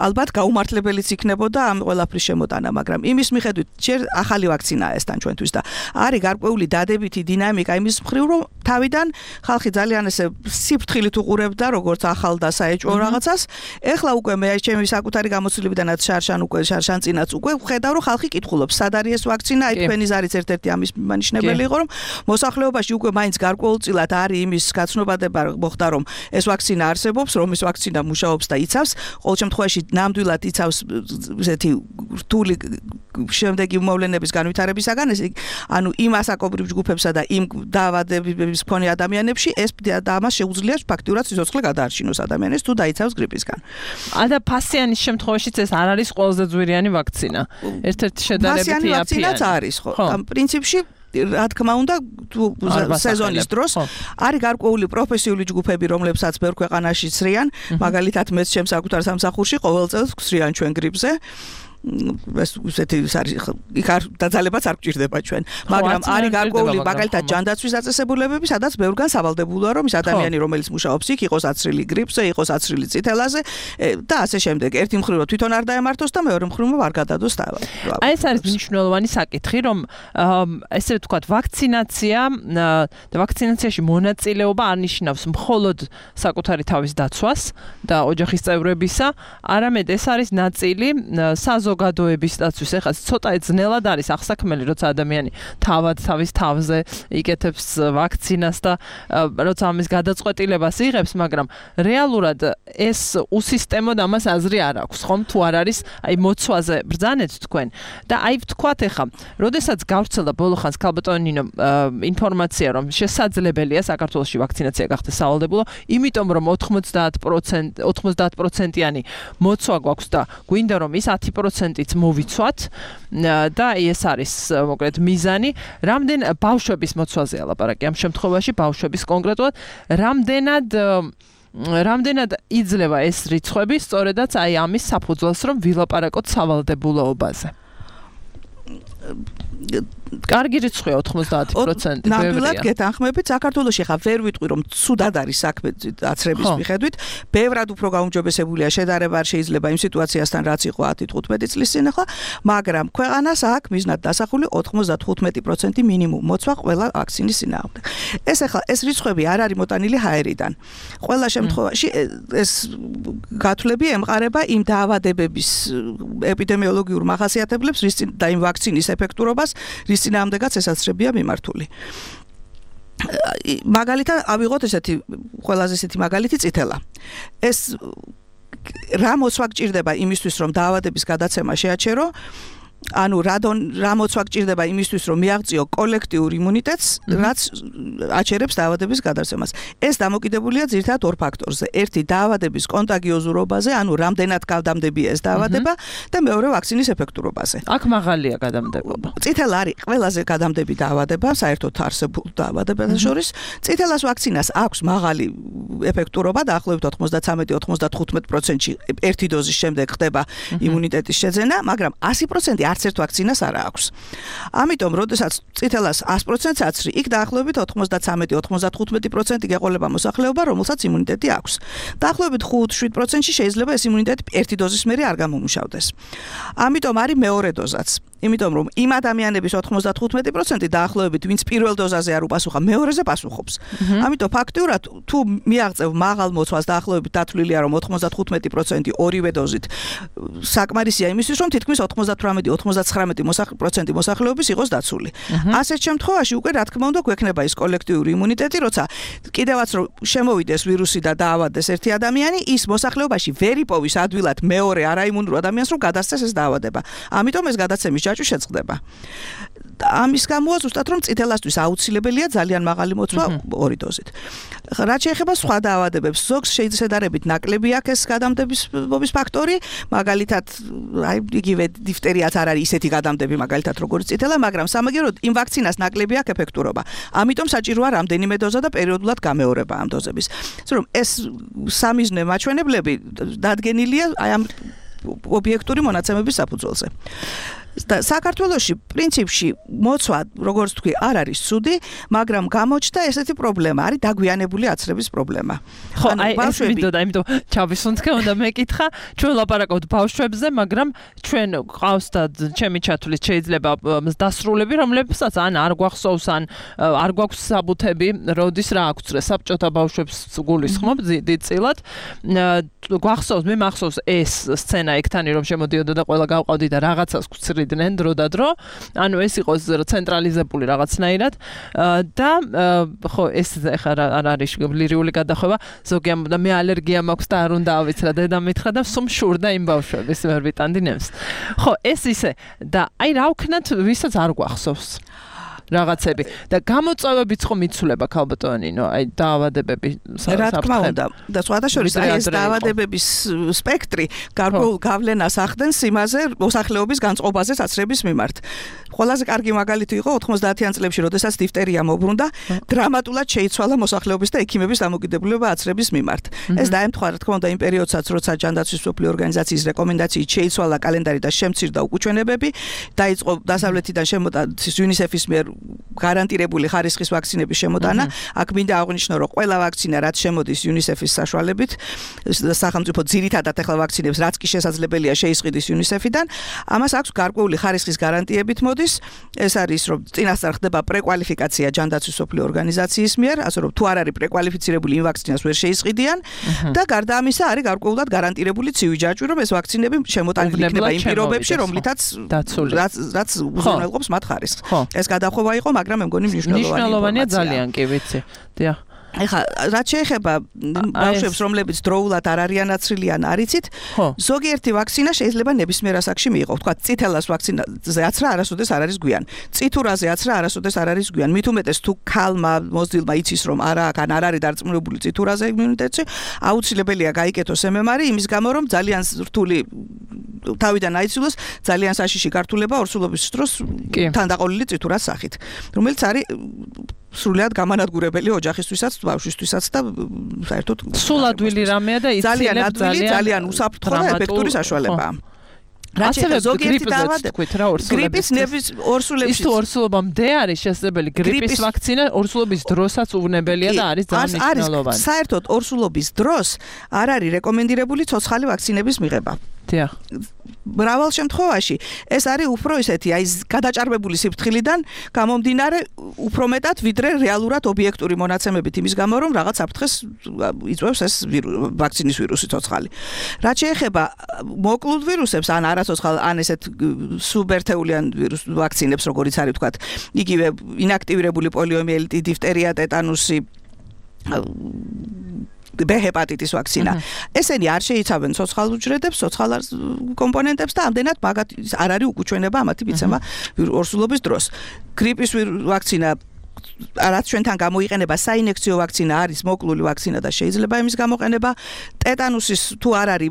ალბათ გაუმართლებელიც იქნებოდა ამ ყველაფრის შემოტანა, მაგრამ იმის მიხედვით ჯერ ახალი ვაქცინაა ეს თან ჩვენთვის და არის გარკვეული დადებითი დინამიკა იმის მხრივ რომ თავიდან ხალხი ძალიან ესე სიფრთხილით უყურებდა როგორც ახალ და საეჭვო რაღაცას. ეხლა უკვე მე ჩემი საკუთარი გამოცდილებიდანაც შარშან უკვე შარშან წინაც უკვე ხედავ რომ ხალხი კითხულობს სად არის ეს ვაქცინა, აი თქვენი ზარიც ერთ-ერთი ამის მანიშნებელი იყო რომ მოსახლეობაში უკვე მაინც გარკვეულწილად არის იმის გაცნობადება მოხდა რომ ეს ვაქცინა არსებობს, რომ ეს ვაქცინა მუშაობს და იცავს, ყოველ შემთხვევაში ნამდვილად იცავს ესეთი რთული შემდეგი მოვლენების განვითარებისაგან, ეს ანუ იმ ასაკობრივ ჯგუფებსა და იმ დაავადებების მქონე ადამიანებში ეს და ამას შეუძლია ფაქტიურად სიცოცხლე გადაარჩინოს ადამიანს თუ დაიცავს გრიპისგან. და ფასიანის შემთხვევაშიც ეს არ არის ყველაზე ძვირიანი ვაქცინა. ერთ-ერთი შედარებითი ვაქცინაც არის, ხო. ამ პრინციპში რა თქმა უნდა სეზონის დროს არის გარკვეული პროფესიული ჯგუფები, რომლებსაც ბევრ ქვეყანაში ცრიან, მაგალითად მეც ჩემს საკუთარ სამსახურში ყოველ წელს ვცრიან ჩვენ გრიპზე. ეს ისეთი იქ არ დაძალებაც არ გჭირდება ჩვენ, მაგრამ არის გარკვეული მაგალითად ჯანდაცვის დაწესებულებები, სადაც ბევრგან სავალდებულოა რომ ის ადამიანი რომელიც მუშაობს იქ იყოს აცრილი გრიპზე, იყოს აცრილი წითელაზე და ასე შემდეგ. ერთი მხრივ თვითონ არ დაემართოს და მეორე მხრივ არ გადადოს დაავადება. აი ეს არის მნიშვნელოვანი საკითხი, რომ ესე ვთქვათ ვაქცინაცია და ვაქცინაციაში მონაწილეობა არ ნიშნავს მხოლოდ საკუთარი თავის დაცვას და ოჯახის წევრებისა, არამედ ეს არის ნაწილი საზოგადოების საზოგადოების დაცვის. ეხლა ცოტა ძნელად არის ახსაქმელი, როცა ადამიანი თავად თავის თავზე იკეთებს ვაქცინას და როცა ამის გადაწყვეტილებას იღებს, მაგრამ რეალურად ეს უსისტემოდ ამას აზრი არ აქვს, ხომ? თუ არ არის აი მოცვაზე ბრძანეთ თქვენ. და აი ვთქვათ ეხლა, როდესაც გავრცელდა ბოლოხანს ქალბატონინო ინფორმაცია, რომ შესაძლებელია საქართველოში ვაქცინაცია გახდეს სავალდებულო, იმიტომ რომ ოცდაათ პროცენტიანი მოცვა გვაქვს და გვინდა რომ ის ათი პროცენტიც მოვიცვათ და ეს არის მოკლედ მიზანი. რამდენ ბავშვების მოცვაზეა ლაპარაკი ამ შემთხვევაში, ბავშვების კონკრეტულად, რამდენად რამდენად იძლევა ეს რიცხვები სწორედაც აი ამის საფუძველს, რომ ვილაპარაკოთ სავალდებულოობაზე. კარგი რიცხვია ოცდაათი პროცენტი. ნამდვილად გეთანხმებით, საქართველოში ხა ვერ ვიტყვი რომ ცუდად არის საქმე აცრების მიხედვით, ბევრად უფრო გაუმჯობესებულია შედარება არ შეიძლება იმ სიტუაციასთან რაც იყო ათი თხუთმეტი წლის წინ ახლა, მაგრამ ქვეყანას აქვს მიზნად დასახული ოცდათხუთმეტი პროცენტი მინიმუმ მოცვა ყველა ვაქცინის წინააღმდეგ. ეს ახლა ეს რიცხვები არ არის მოტანილი ჰაერიდან. ყველა შემთხვევაში ეს გათვლები ემყარება იმ დაავადებების ეპიდემიოლოგიურ მახასიათებლებს და იმ ვაქცინის ეფექტურობას, რის წინააღმდეგაც ესაცრებია მიმართული. მაგალითად, ავიღოთ ესეთი ყველაზე ესეთი მაგალითი წითელა. ეს რა მოცვა გჭირდება იმისთვის, რომ დაავადების გადაცემა შეაჩერო? ანუ რადონ რა მოცვა გჭირდება იმისთვის, რომ მიაღწიო კოლექტიურ იმუნიტეტს, რაც აჩერებს დაავადების გადაცემას. ეს დამოკიდებულია ძირითადად ორ ფაქტორზე. ერთი დაავადების კონტაგიოზურობაზე, ანუ რამდენად გავდამდებია ეს დაავადება და მეორე ვაქცინის ეფექტურობაზე. აქ მაღალია გადამდებობა. წითელა არის ყველაზე გადამდები დაავადება, საერთოდ არსებულ დაავადებათა შორის. წითელას ვაქცინას აქვს მაღალი ეფექტურობა, დაახლოებით ოცდაცამეტი ოცდათხუთმეტი პროცენტში ერთი დოზის შემდეგ ხდება იმუნიტეტის შეძენა, მაგრამ ასი პროცენტი არც ერთ ვაქცინას არ აქვს. ამიტომ, როდესაც წითელას ათი პროცენტს აცრი, იქ დაახლოებით ოცდაცამეტი ოცდათხუთმეტი პროცენტი გეყოლება მოსახლეობა, რომელსაც იმუნიტეტი აქვს. დაახლოებით ხუთ შვიდ პროცენტში შეიძლება ეს იმუნიტეტი ერთი დოზის მერე არ გამომუშავდეს. ამიტომ არის მეორე დოზაც. იმიტომ რომ იმ ადამიანების ოცდათხუთმეტი პროცენტი დაახლოებით, ვინც პირველ დოზაზე არ უპასუხა, მეორეზე პასუხობს. ამიტომ ფაქტიურად თუ მიაღწევ მაღალ მოცვას დაახლოებით დათვლილია რომ ოცდათხუთმეტი პროცენტი ორივე დოზით საკმარისია იმისთვის რომ თითქმის ოცდათვრამეტი ოცდაცხრამეტი პროცენტი მოსახლეობის იყოს დაცული. ასეთ შემთხვევაში უკვე რა თქმა უნდა გვექნება ის კოლექტიური იმუნიტეტი, როცა კიდევაც რომ შემოვიდეს ვირუსი და დაავადდეს ერთი ადამიანი, ის მოსახლეობაში ვერ იპოვის ადვილად მეორე არაიმუნურ ადამიანს რომ გადასცეს ეს დაავადება. ამიტომ ეს გადაცემის ჯაჭვი შეწყდება. ამის გამოა ზუსტად რომ წითელასთვის აუცილებელია ძალიან მაღალი მოცვა ორი დოზით. რაც შეეხება სხვა დაავადებებს, ზოგს შეიძლებარებით ნაკლები აქვს ეს გადამდების ფაქტორი, მაგალითად, აი იგივე დიფტერიაც არ არის ისეთი გადამდები მაგალითად როგორც წითელა, მაგრამ სამაგიეროდ იმ ვაქცინას ნაკლები აქვს ეფექტურობა. ამიტომ საჭიროა რამდენიმე დოზა და პერიოდულად გამეორება ამ დოზების. ასე რომ ეს სამიზნე მაჩვენებლები დადგენილია აი ამ ობიექტური მონაცემების საფუძველზე. და საქართველოში პრინციპში მოცვა, როგორც თქვი, არ არის ცუდი, მაგრამ გამოჩნდა ესეთი პრობლემა, არის დაგვიანებული აცრების პრობლემა. ხო, აი ეს მინდოდა, იმიტომ ჩავისუნთქე, უნდა მეკითხა, ჩვენ ლაპარაკობთ ბავშვებზე, მაგრამ ჩვენ ყავს და ჩემი ჩათვლით შეიძლება დასრულები, რომლებსაც ან არ გვახსოვს, ან არ გვაქვს საბუთები, როდის რა აქვს საბჭოთა ბავშვებს გულისხმობ დიდწილად. გვახსოვს, მე მახსოვს ეს სცენა ეგთანი რომ შემოდიოდა და ყველა გავყავდი და რაღაცას გვცრიდნენ დრო და დრო. ანუ ეს იყოს ცენტრალიზებული რაღაცნაირად და ხო ეს ახლა არ არის ლირიული გადახვევა. ზოგი ამბობდა მე ალერგია მაქვს და არ უნდა ავიცრა დედა მითხრა და სულ მშურდა იმ ბავშვების ვერ ვიტანდი ნემს. ხო ეს ისე და აი რა ვქნათ ვისაც არ გვახსოვს. რაღაცები და გამოწვევებიც ხომ იცვლება ქალბატონინო, აი დაავადებები რა თქმა უნდა და სხვათა შორის აი ეს დაავადებების სპექტრი გარკვეულ გავლენას ახდენს იმაზე მოსახლეობის განწყობაზე საცრების მიმართ. ყველაზე კარგი მაგალითი იყო ოცდაათიან წლებში, როდესაც დიფტერია მოbrunდა, დრამატულად შეიცვალა მოსახლეობის და ექიმების დამოკიდებულება აცრების მიმართ. ეს დაემთხვა რა თქმა უნდა იმ პერიოდსაც, როცა ჯანდაცვის მსოფლიო ორგანიზაციის რეკომენდაციით შეიცვალა კალენდარი და შემცირდა უკუჩვენებები, დაიწყო დასავლეთიდან შემოტა იუნისეფის მიერ გარანტირებული ხარისხის ვაქცინების შემოტანა. აქ მინდა აღვნიშნო, რომ ყველა ვაქცინა, რაც შემოდის იუნისეფის საშუალებით, სახელმწიფო ძირითადად ახლა ვაქცინებს, რაც კი შესაძლებელია შეისყიდის იუნისეფიდან, ამას აქვს გარკვეული ხარისხის გარანტიებით მოდის მისთვის ეს არის რომ წინასწარ ხდება პრეკვალიფიკაცია ჯანდაცვის სოფლიო ორგანიზაციის მიერ, ასე რომ თუ არ არის პრეკვალიფიცირებული იმ ვაქცინას ვერ შეისყიდიან და გარდა ამისა არის გარკვეულად გარანტირებული ცივი ჯაჭვი, რომ ეს ვაქცინები შემოტანილი იქნება იმ პირობებში, რომლითაც რაც რაც უზრუნველყოფს მათ ხარისხს. ეს გადახვევა იყო, მაგრამ მე მგონი მნიშვნელოვანია. მნიშვნელოვანია ძალიან, კი ვიცი. დიახ. ეხლა რაც შეეხება ბავშვებს, რომლებიც დროულად არ არიან აცრილი ან არიცით, ზოგიერთი ვაქცინა შეიძლება ნებისმიერ ასაკში მიიღოს. თქვა წითელას ვაქცინაზე აცრა არასოდეს არ არის გვიან. წითურაზე აცრა არასოდეს არ არის გვიან. მით უმეტეს თუ ქალმა მოზრდილმა იცის რომ არა აქ ან არ არის დარწმუნებული წითურაზე იმუნიტეტი, აუცილებელია გაიკეთოს эм эм эр იმის გამო რომ ძალიან რთული თავიდან აიცილოს ძალიან საშიში გართულება ორსულობის დროს თანდაყოლილი წითურას სახით, რომელიც არის სრულად გამანადგურებელი ოჯახისთვისაც, ბავშვისთვისაც და საერთოდ სულადვილი რამეა და იცილებ ძალიან ძალიან უსაფრთხო და ეფექტური საშუალებაა. ასევე გრიპის თქვით რა ორსულების გრიპის ორსულების ის თუ ორსულობამდე არის შესაძლებელი გრიპის ვაქცინა ორსულობის დროსაც უვნებელია და არის ძალიან მნიშვნელოვანი. საერთოდ ორსულობის დროს არ არის რეკომენდირებული ცოცხალი ვაქცინების მიღება. დიახ. მრავალ შემთხვევაში ეს არის უფრო ისეთი, აი გადაჭარბებული სიფრთხილიდან გამომდინარე უფრო მეტად ვიდრე რეალურად ობიექტური მონაცემებით იმის გამო რომ რაღაც საფრთხეს იწვევს ეს ვაქცინის ვირუსი ცოცხალი. რაც შეეხება მოკლულ ვირუსებს ან არაცოცხალ ან ესეთ სუბერთეულიან ვირუს ვაქცინებს, როგორიც არის ვთქვათ, იგივე ინაქტივირებული პოლიომიელიტი, დიფტერია, ტეტანუსი, B ჰეპატიტის ვაქცინა. ესენი არ შეიცავენ ცოცხალ უჯრედებს, ცოცხალ კომპონენტებს და ამდენად მაგათ არ არის უკუჩვენება ამათი მიცემა ორსულობის დროს. გრიპის ვაქცინა რაც ჩვენთან გამოიყენება საინექციო ვაქცინა არის მოკლული ვაქცინა და შეიძლება იმის გამოყენება. ტეტანუსის თუ არ არის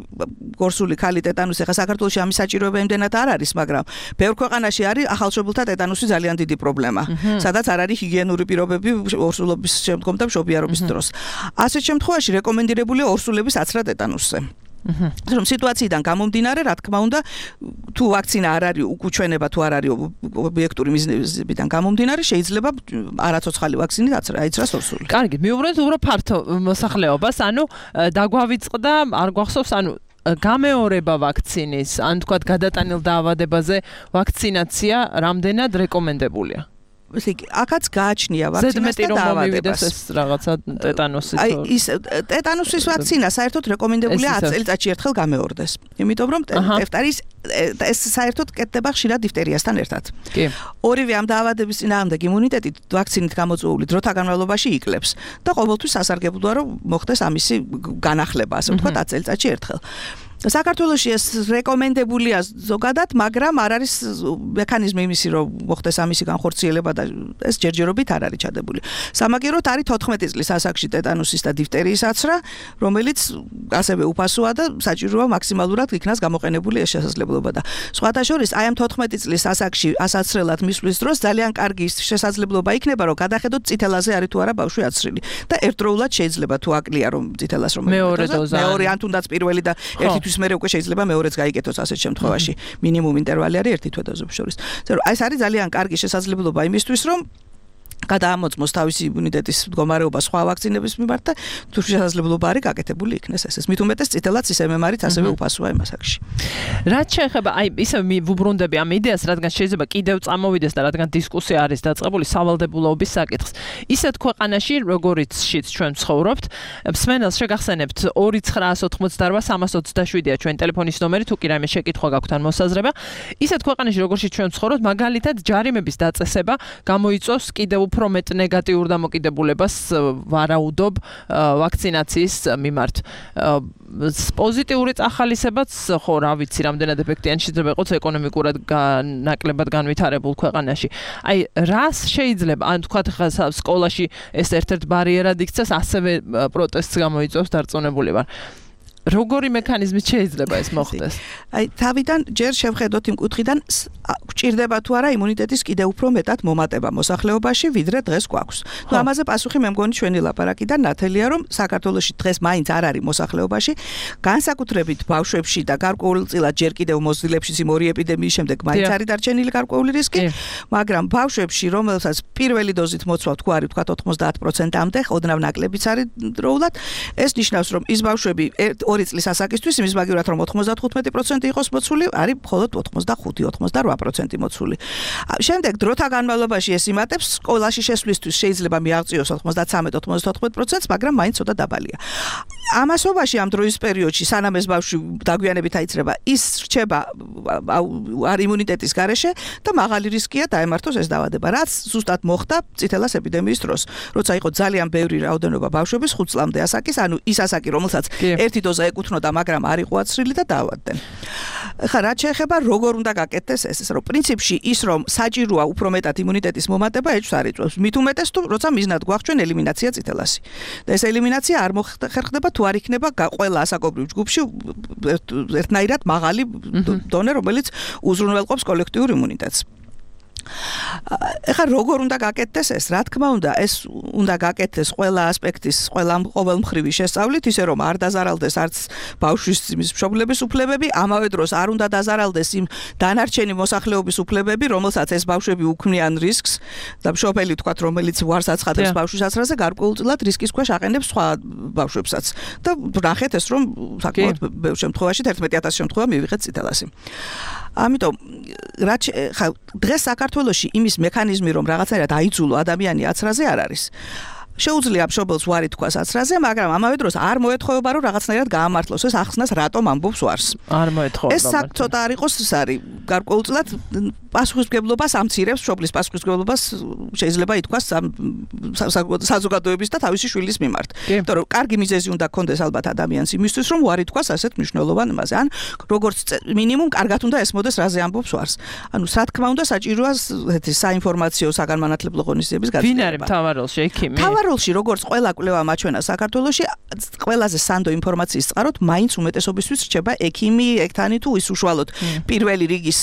გორსული ქალი ტეტანუსი, ხა საქართველოში ამის საჭიროება იმდენად არ არის, მაგრამ ბევრ ქვეყანაში არის ახალშობილთა ტეტანუსი ძალიან დიდი პრობლემა, სადაც არ არის ჰიგიენური პირობები ორსულობის შემდგომ და მშობიარობის დროს. ასეთ შემთხვევაში რეკომენდირებულია ორსულების აცრა ტეტანუსზე. რომ სიტუაციიდან გამომდინარე, რა თქმა უნდა, თუ ვაქცინა არ არის უკუჩვენება, თუ არ არის ობიექტური მიზნებიდან გამომდინარე, შეიძლება არაცოცხალი ვაქცინით აიცრას ორსული. კარგი, მივუბრუნდეთ უფრო ფართო მოსახლეობას, ანუ დაგვავიწყდა, არ გვახსოვს, ანუ გამეორება ვაქცინის, ან თქვათ გადატანილ დაავადებაზე ვაქცინაცია რამდენად რეკომენდებულია? ესე იგი, აქაც გააჩნია ვაქცინას და დაავადებას. ეს რაღაცა ტეტანუსის. აი, ის ტეტანუსის ვაქცინა საერთოდ რეკომენდებულია ათი წელიწადში ერთხელ გამეორდეს. იმიტომ რომ ტეფტარის ეს საერთოდ კეთდება ხშირად დიფტერიასთან ერთად. კი. ორივე ამ დაავადების წინააღმდეგ იმუნიტეტი ვაქცინით გამოწვეული დროთა განმავლობაში იკლებს და ყოველთვის სასარგებლოა რომ მოხდეს ამისი განახლება, ასე ვთქვათ, ათი წელიწადში ერთხელ. საქართველოში ეს რეკომენდებულია ზოგადად, მაგრამ არ არის მექანიზმი იმისი, რომ მოხდეს ამისი განხორციელება და ეს ჯერჯერობით არ არის ჩადებული. სამაგიეროდ არის თოთხმეტი წლის ასაკში ტეტანუსის და დიფტერიის აცრა, რომელიც ასევე უფასოა და საჭიროა მაქსიმალურად იქნას გამოყენებული ეს შესაძლებლობა და სხვათა შორის აი ამ თოთხმეტი წლის ასაკში ასაცრელად მისვლის დროს ძალიან კარგი შესაძლებლობა იქნება, რომ გადახედოთ წითელაზე არის თუ არა ბავშვი აცრილი და ერთდროულად შეიძლება თუ აკლია რომ წითელას რომ მეორე დოზა მეორე ან თუნდაც პირველი და ერთი თვის მერე უკვე შეიძლება მეორეც გაიგეთოს ასეთ შემთხვევაში. მინიმუმ ინტერვალი არის ერთი თვე დოზების შორის. აი ეს არის ძალიან კარგი შესაძლებლობა იმისთვის, რომ გადაამოწმოს თავისი იმუნიტეტის მდგომარეობა სხვა ვაქცინების მიმართ და თუ შესაძლებლობა არის გაკეთებული იქნეს ეს. მით უმეტეს წითელაც ის эм эм эр-ით ასევე უფასოა იმ ასაკში. რაც შეეხება აი ისე ვუბრუნდები ამ იდეას, რადგან შეიძლება კიდევ წამოვიდეს და რადგან დისკუსია არის დაწყებული სავალდებულოების საკითხს. ისეთ ქვეყანაში, როგორიც შიც ჩვენ ცხოვრობთ, მსმენელს შეგახსენებთ ორი ცხრაას ოთხმოცდარბა სამას ოცდაშვიდია ჩვენ ტელეფონის ნომერი, თუ კი რაიმე შეკითხვა გაქვთ ან მოსაზრება. ისეთ ქვეყანაში, როგორში ჩვენ ცხოვრობთ, მაგალითად ჯარიმების დაწესება გამოიწვევს კიდევ უფრო მეტ ნეგატიურ დამოკიდებულებას ვარაუდობ ვაქცინაციის მიმართ. პოზიტიური წახალისებაც ხო რა ვიცი რამდენად ეფექტიანი შეიძლება იყოს ეკონომიკურად ნაკლებად განვითარებულ ქვეყანაში. აი რას შეიძლება ან თქვათ ხა სკოლაში ეს ერთ-ერთ ბარიერად იქცეს, ასევე პროტესტს გამოიწვევს დარწმუნებული ვარ. როგორი მექანიზმით შეიძლება ეს მოხდეს? აი თავიდან ჯერ შევხედოთ იმ კუთხიდან გჭირდება თუ არა იმუნიტეტის კიდევ უფრო მეტად მომატება მოსახლეობაში, ვიდრე დღეს გვაქვს. ნუ ამაზე პასუხი მე მგონი ჩვენი ლაპარაკიდან ნათელია, რომ საქართველოში დღეს მაინც არ არის მოსახლეობაში, განსაკუთრებით ბავშვებში და გარკვეულწილად ჯერ კიდევ მოზრდილებში იმ ორი ეპიდემიის შემდეგ მაინც არის დარჩენილი გარკვეული რისკი, მაგრამ ბავშვებში, რომელსაც პირველი დოზით მოცვა თქვა არის თქვა ოთხმოცდაათ პროცენტამდე, ოდნავ ნაკლებიც არის დროულად, ეს ნიშნავს, რომ ის ბავშვები ორი წლის ასაკისთვის იმის მაგივრად რომ ოცდათხუთმეტი პროცენტი იყოს მოცული, არის მხოლოდ ოცდახუთი ოცდაოთხ პროცენტი მოცული. შემდეგ დროთა განმავლობაში ეს იმატებს სკოლაში შესვლისთვის შეიძლება მიაღწიოს ოცდაცამეტ ოცდაოთხ პროცენტს, მაგრამ მაინც ცოტა დაბალია. ამასობაში ამ დროის პერიოდში სანამ ეს ბავშვი დაგვიანებით აიწრება, ის რჩება არ იმუნიტეტის გარეშე და მაღალი რისკია დაემართოს ეს დაავადება, რაც ზუსტად მოხდა წითელას ეპიდემიის დროს, როცა იყო ძალიან ბევრი რაოდენობა ბავშვების ხუთ წლამდე ასაკის, ანუ ის ასაკი, რომელსაც ერთი დოზა ეკუთვნოდა, მაგრამ არ იყო აცრილი და დაავადდნენ. ხა რაც შეეხება როგორ უნდა გაკეთდეს ეს, რომ პრინციპში ის რომ საჭიროა უფრო მეტად იმუნიტეტის მომატება ეჭვს არ იწვევს. მით უმეტეს თუ როცა მიზნად გვახჩვენ ელიმინაცია წითელასი. და ეს ელიმინაცია არ მოხერხდება თუ არ იქნება ყველა ასაკობრივ ჯგუფში ერთნაირად მაღალი დონე, რომელიც უზრუნველყოფს კოლექტიურ იმუნიტეტს. ეხლა როგორ უნდა გაკეთდეს ეს? რა თქმა უნდა, ეს უნდა გაკეთდეს ყველა ასპექტის, ყველა ყოველმხრივი შესწავლით, ისე რომ არ დაზარალდეს არც ბავშვის იმის მშობლების უფლებები, ამავე დროს არ უნდა დაზარალდეს იმ დანარჩენი მოსახლეობის უფლებები, რომელსაც ეს ბავშვები უქმნიან რისკს და მშობელი თქვათ, რომელიც უარს აცხადებს ბავშვის ასრაზე, გარკვეულწილად რისკის ქვეშ აყენებს სხვა ბავშვებსაც. და ნახეთ ეს რომ საკმაოდ ბევრ შემთხვევაში თერთმეტი ათასი შემთხვევა მივიღეთ წითელასი. ამიტომ რაც ხა დღეს საქართველოში იმის მექანიზმი რომ რაღაცნაირად აიძულო ადამიანი აცრაზე არ არის. შეუძლია მშობელს უარი თქვას აცრაზე, მაგრამ ამავე დროს არ მოეთხოვება რომ რაღაცნაირად გაამართლოს ეს ახსნას რატომ ამბობს უარს. არ მოეთხოვება. ეს ცოტა არ იყოს ეს არის გარკვეულწილად პასუხისმგებლობას ამცირებს, მშობლის პასუხისმგებლობას შეიძლება ითქვას საზოგადოების და თავისი შვილის მიმართ. იმიტომ რომ კარგი მიზეზი უნდა გქონდეს ალბათ ადამიანს იმისთვის რომ უარი თქვას ასეთ მნიშვნელოვან იმაზე. ან როგორც მინიმუმ კარგად უნდა ესმოდეს რაზე ამბობს უარს. ანუ რა თქმა უნდა საჭიროა ესეთი საინფორმაციო საგანმანათლებლო ღონისძიების გაწყვეტილება. ვინ არის მთავაროლში ექიმი? მთავაროლში როგორც ყველა კვლევა მაჩვენა საქართველოში, ყველაზე სანდო ინფორმაციის წყაროთ მაინც უმეტესობისთვის რჩება ექიმი, ექთანი თუ ის უშუალოდ პირველი რიგის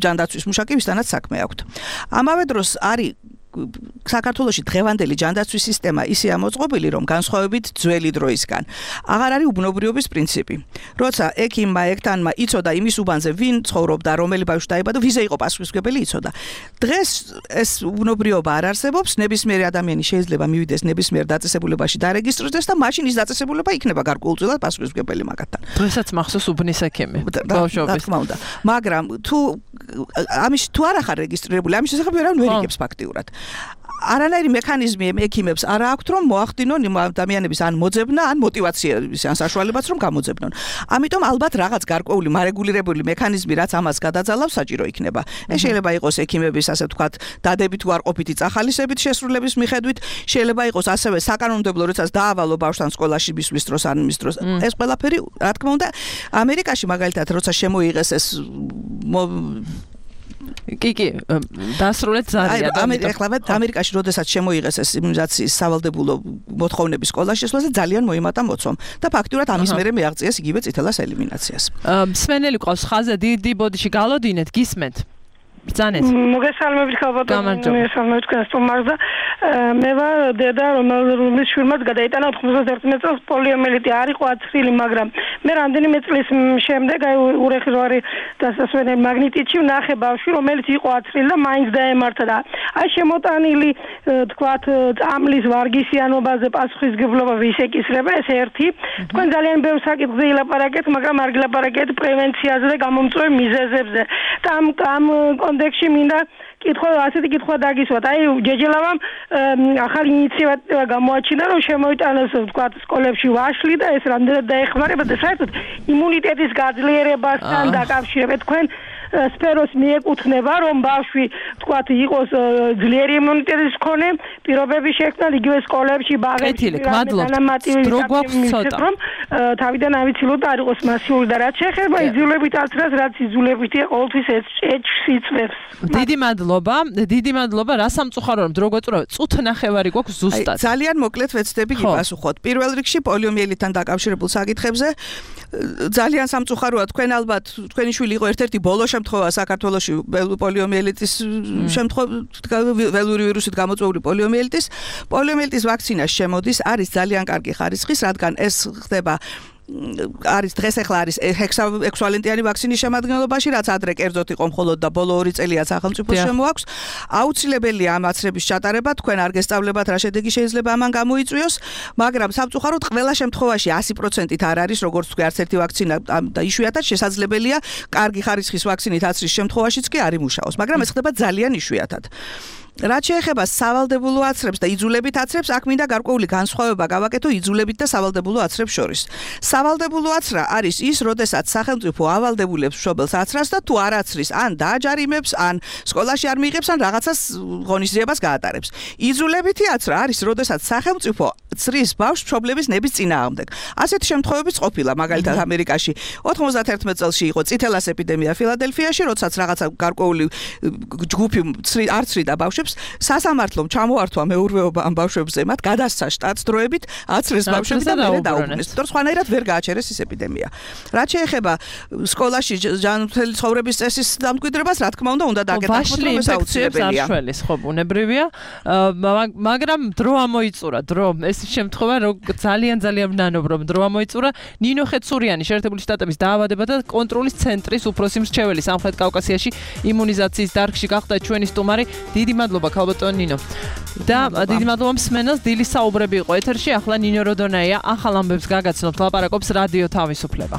ჯანდაცვის მუშაკი, ვისთანაც საქმე აქვთ. ამავე დროს არის საქართველოში დღევანდელი ჯანდაცვის სისტემა ისე ამოწყობილი, რომ განსხვავებით ძველი დროისგან აღარ არის უბნობრიობის პრინციპი. როცა ექიმმა, ექთანმა იცოდა იმის უბანზე, ვინ ცხოვრობდა, რომელი ბავშვი დაიბადა, ვიზე იყო პასუხისმგებელი იცოდა. დღეს ეს უბნობრიობა არ არსებობს, ნებისმიერი ადამიანი შეიძლება მივიდეს ნებისმიერ დაწესებულებაში დარეგისტრირდეს და მაშინ ის დაწესებულება იქნება გარკვეულწილად პასუხისმგებელი მაგათთან. დღესაც მახსოვს უბნის ექიმი. ბავშვობის. მაგრამ თუ ამის თუ არ ახარ რეგისტრირებული, ამის შესახებ ვერავინ ვერ იგებს ფაქტიურად. არანაირი მექანიზმი ექიმებს არ აქვთ რომ მოახდინონ იმ ადამიანების ან მოძებნა, ან мотиваციების, ან საშუალებაც რომ გამოძებნონ. ამიტომ ალბათ რაღაც გარკვეული მარეგულირებული მექანიზმი, რაც ამას გადაძალავს, საჭირო იქნება. ეს შეიძლება იყოს ექიმების, ასე ვთქვათ, დადებით უარყოფითი წახალისებით შესრულების მიხედვით, შეიძლება იყოს ასევე საკანონმდებლო, როდესაც დაავალო ბავშვთან სკოლაში მისვლის დროს, ან მის დროს. ეს ყველაფერი, რა თქმა უნდა, ამერიკაში მაგალითად, როცა შემოიღეს ეს კი კი დასრულეთ ზარია და ეხლა ამერიკაში როდესაც შემოიღეს ეს იმუნიზაციის სავალდებულო მოთხოვნების სკოლაში შესვლაზე ძალიან მოიმატა მოცვამ და ფაქტურად ამის მერე მიაღწიეს იგივე წითელას ელიმინაციას. მსმენელი ყავს ხაზე დიდი ბოდიში გალოდინეთ გისმენთ ბრძანეთ. მოგესალმებით ხალბატონო, მოგესალმებით კასტომარზე. მე ვარ დედა, რომელმაც შვილმაც გადაიტანა ოცდაერთი წელს პოლიომიელიტი, არ იყო აცრილი, მაგრამ მე რამდენიმე წლის შემდეგ აი ურეხი რო არის დასასვენებელი მაგნიტიტში ვნახე ბავშვი, რომელიც იყო აცრილი და მაინც დაემართა და აი შემოტანილი თქვათ წამლის ვარგისიანობაზე პასუხისმგებლობა ვის ეკისრება, ეს ერთი. თქვენ ძალიან ბევრ საკითხზე ილაპარაკეთ, მაგრამ არ გილაპარაკეთ პრევენციაზე და გამომწვევ მიზეზებზე. და ამ ამ კონტექსტში მინდა კითხვა, ასეთი კითხვა დაგისვათ. აი ჯეჯელავამ ახალი ინიციატივა გამოაჩინა, რომ შემოიტანოს თქვათ სკოლებში ვაშლი და ეს რამდენად დაეხმარება და საერთოდ იმუნიტეტის გაძლიერებასთან დაკავშირებით თქვენ სფეროს მიეკუთვნება, რომ ბავშვი თქვათ იყოს ძლიერი იმუნიტეტის მქონე, პირობები შექმნან იგივე სკოლებში, ბაღებში, განმარტივი რომ თავიდან ავიცილოთ არ იყოს მასიური და რაც შეეხება იძულებით აცრას, რაც იძულებითია ყოველთვის ეჭვს იწვევს. დიდი მადლობა, დიდი მადლობა. რა სამწუხარო რომ დრო გვეწურავთ, წუთ ნახევარი გვაქვს ზუსტად. ძალიან მოკლედ ვეცდები გიპასუხოთ. პირველ რიგში პოლიომიელიტთან დაკავშირებულ საკითხებზე ძალიან სამწუხაროა, თქვენ ალბათ თქვენი შვილი იყო ერთ-ერთი ბოლო შემთხვევა საქართველოში პოლიომიელიტის შემთხვევა, ველური ვირუსით გამოწვეული პოლიომიელიტის. პოლიომიელიტის ვაქცინა შემოდის, არის ძალიან კარგი ხარისხის, რადგან ეს ხდება არის დღეს ახლა არის ექვსვალენტიანი ვაქცინის შემადგენლობაში, რაც ადრე კერძოდ იყო მხოლოდ და ბოლო ორი წელია სახელმწიფოს შემოაქვს. აუცილებელია ამ აცრების ჩატარება, თქვენ არ გესწავლებათ რა შედეგი შეიძლება ამან გამოიწვიოს, მაგრამ სამწუხაროდ ყველა შემთხვევაში ასი პროცენტით არ არის, როგორც თქვი, არც ერთი ვაქცინა და იშვიათად შესაძლებელია კარგი ხარისხის ვაქცინით აცრის შემთხვევაშიც კი არ იმუშაოს, მაგრამ ეს ხდება ძალიან იშვიათად. რაც შეეხება სავალდებულო აცრებს და იძულებით აცრებს, აქ მინდა გარკვეული განსხვავება გავაკეთო იძულებით და სავალდებულო აცრებს შორის. სავალდებულო აცრა არის ის, როდესაც სახელმწიფო ავალდებულებს მშობელს აცრას და თუ არ აცრის, ან დააჯარიმებს, ან სკოლაში არ მიიღებს, ან რაღაცას ღონისძიებას გაატარებს. იძულებითი აცრა არის, როდესაც სახელმწიფო ცრის ბავშვს მშობლების ნების წინააღმდეგ. ასეთი შემთხვევებიც ყოფილა, მაგალითად ამერიკაში ოთხმოცდაათერთმეტ წელს იყო წითელას ეპიდემია ფილადელფიაში, როდესაც რაღაცა გარკვეული ჯგუფი არ ცრიდა ბავშვებს სასამართლომ ჩამოართვა მეურვეობა ამ ბავშვებზე, მათ გადასცა შტატს დროებით აცრეს ბავშვები და მერე დაუბრუნეს. თორე სხვანაირად ვერ გააჩერეს ის ეპიდემია. რაც შეეხება სკოლაში ჯანმრთელი ცხოვრების წესის დამკვიდრებას, რა თქმა უნდა, უნდა დაგეთანხმოთ, რომ ეს აუცილებელია. არშველის ხო ბუნებრივია, მაგრამ დრო ამოიწურა, დრო ეს შემთხვევა ძალიან ძალიან მნანობ რომ დრო ამოიწურა. ნინო ხეცურიანი შეერთებული შტატების დაავადება და კონტროლის ცენტრის უფროსი მრჩეველი სამხრეთ კავკასიაში იმუნიზაციის დარგში გახდა ჩვენი სტუმარი. დიდი მადლობა ქალბატონ ნინო. და დიდი მადლობა მსმენელს, დილის საუბრები იყო ეთერში, ახლა ნინო როდონაია ახალ ამბებს გაგაცნობთ, ლაპარაკობს რადიო თავისუფლება.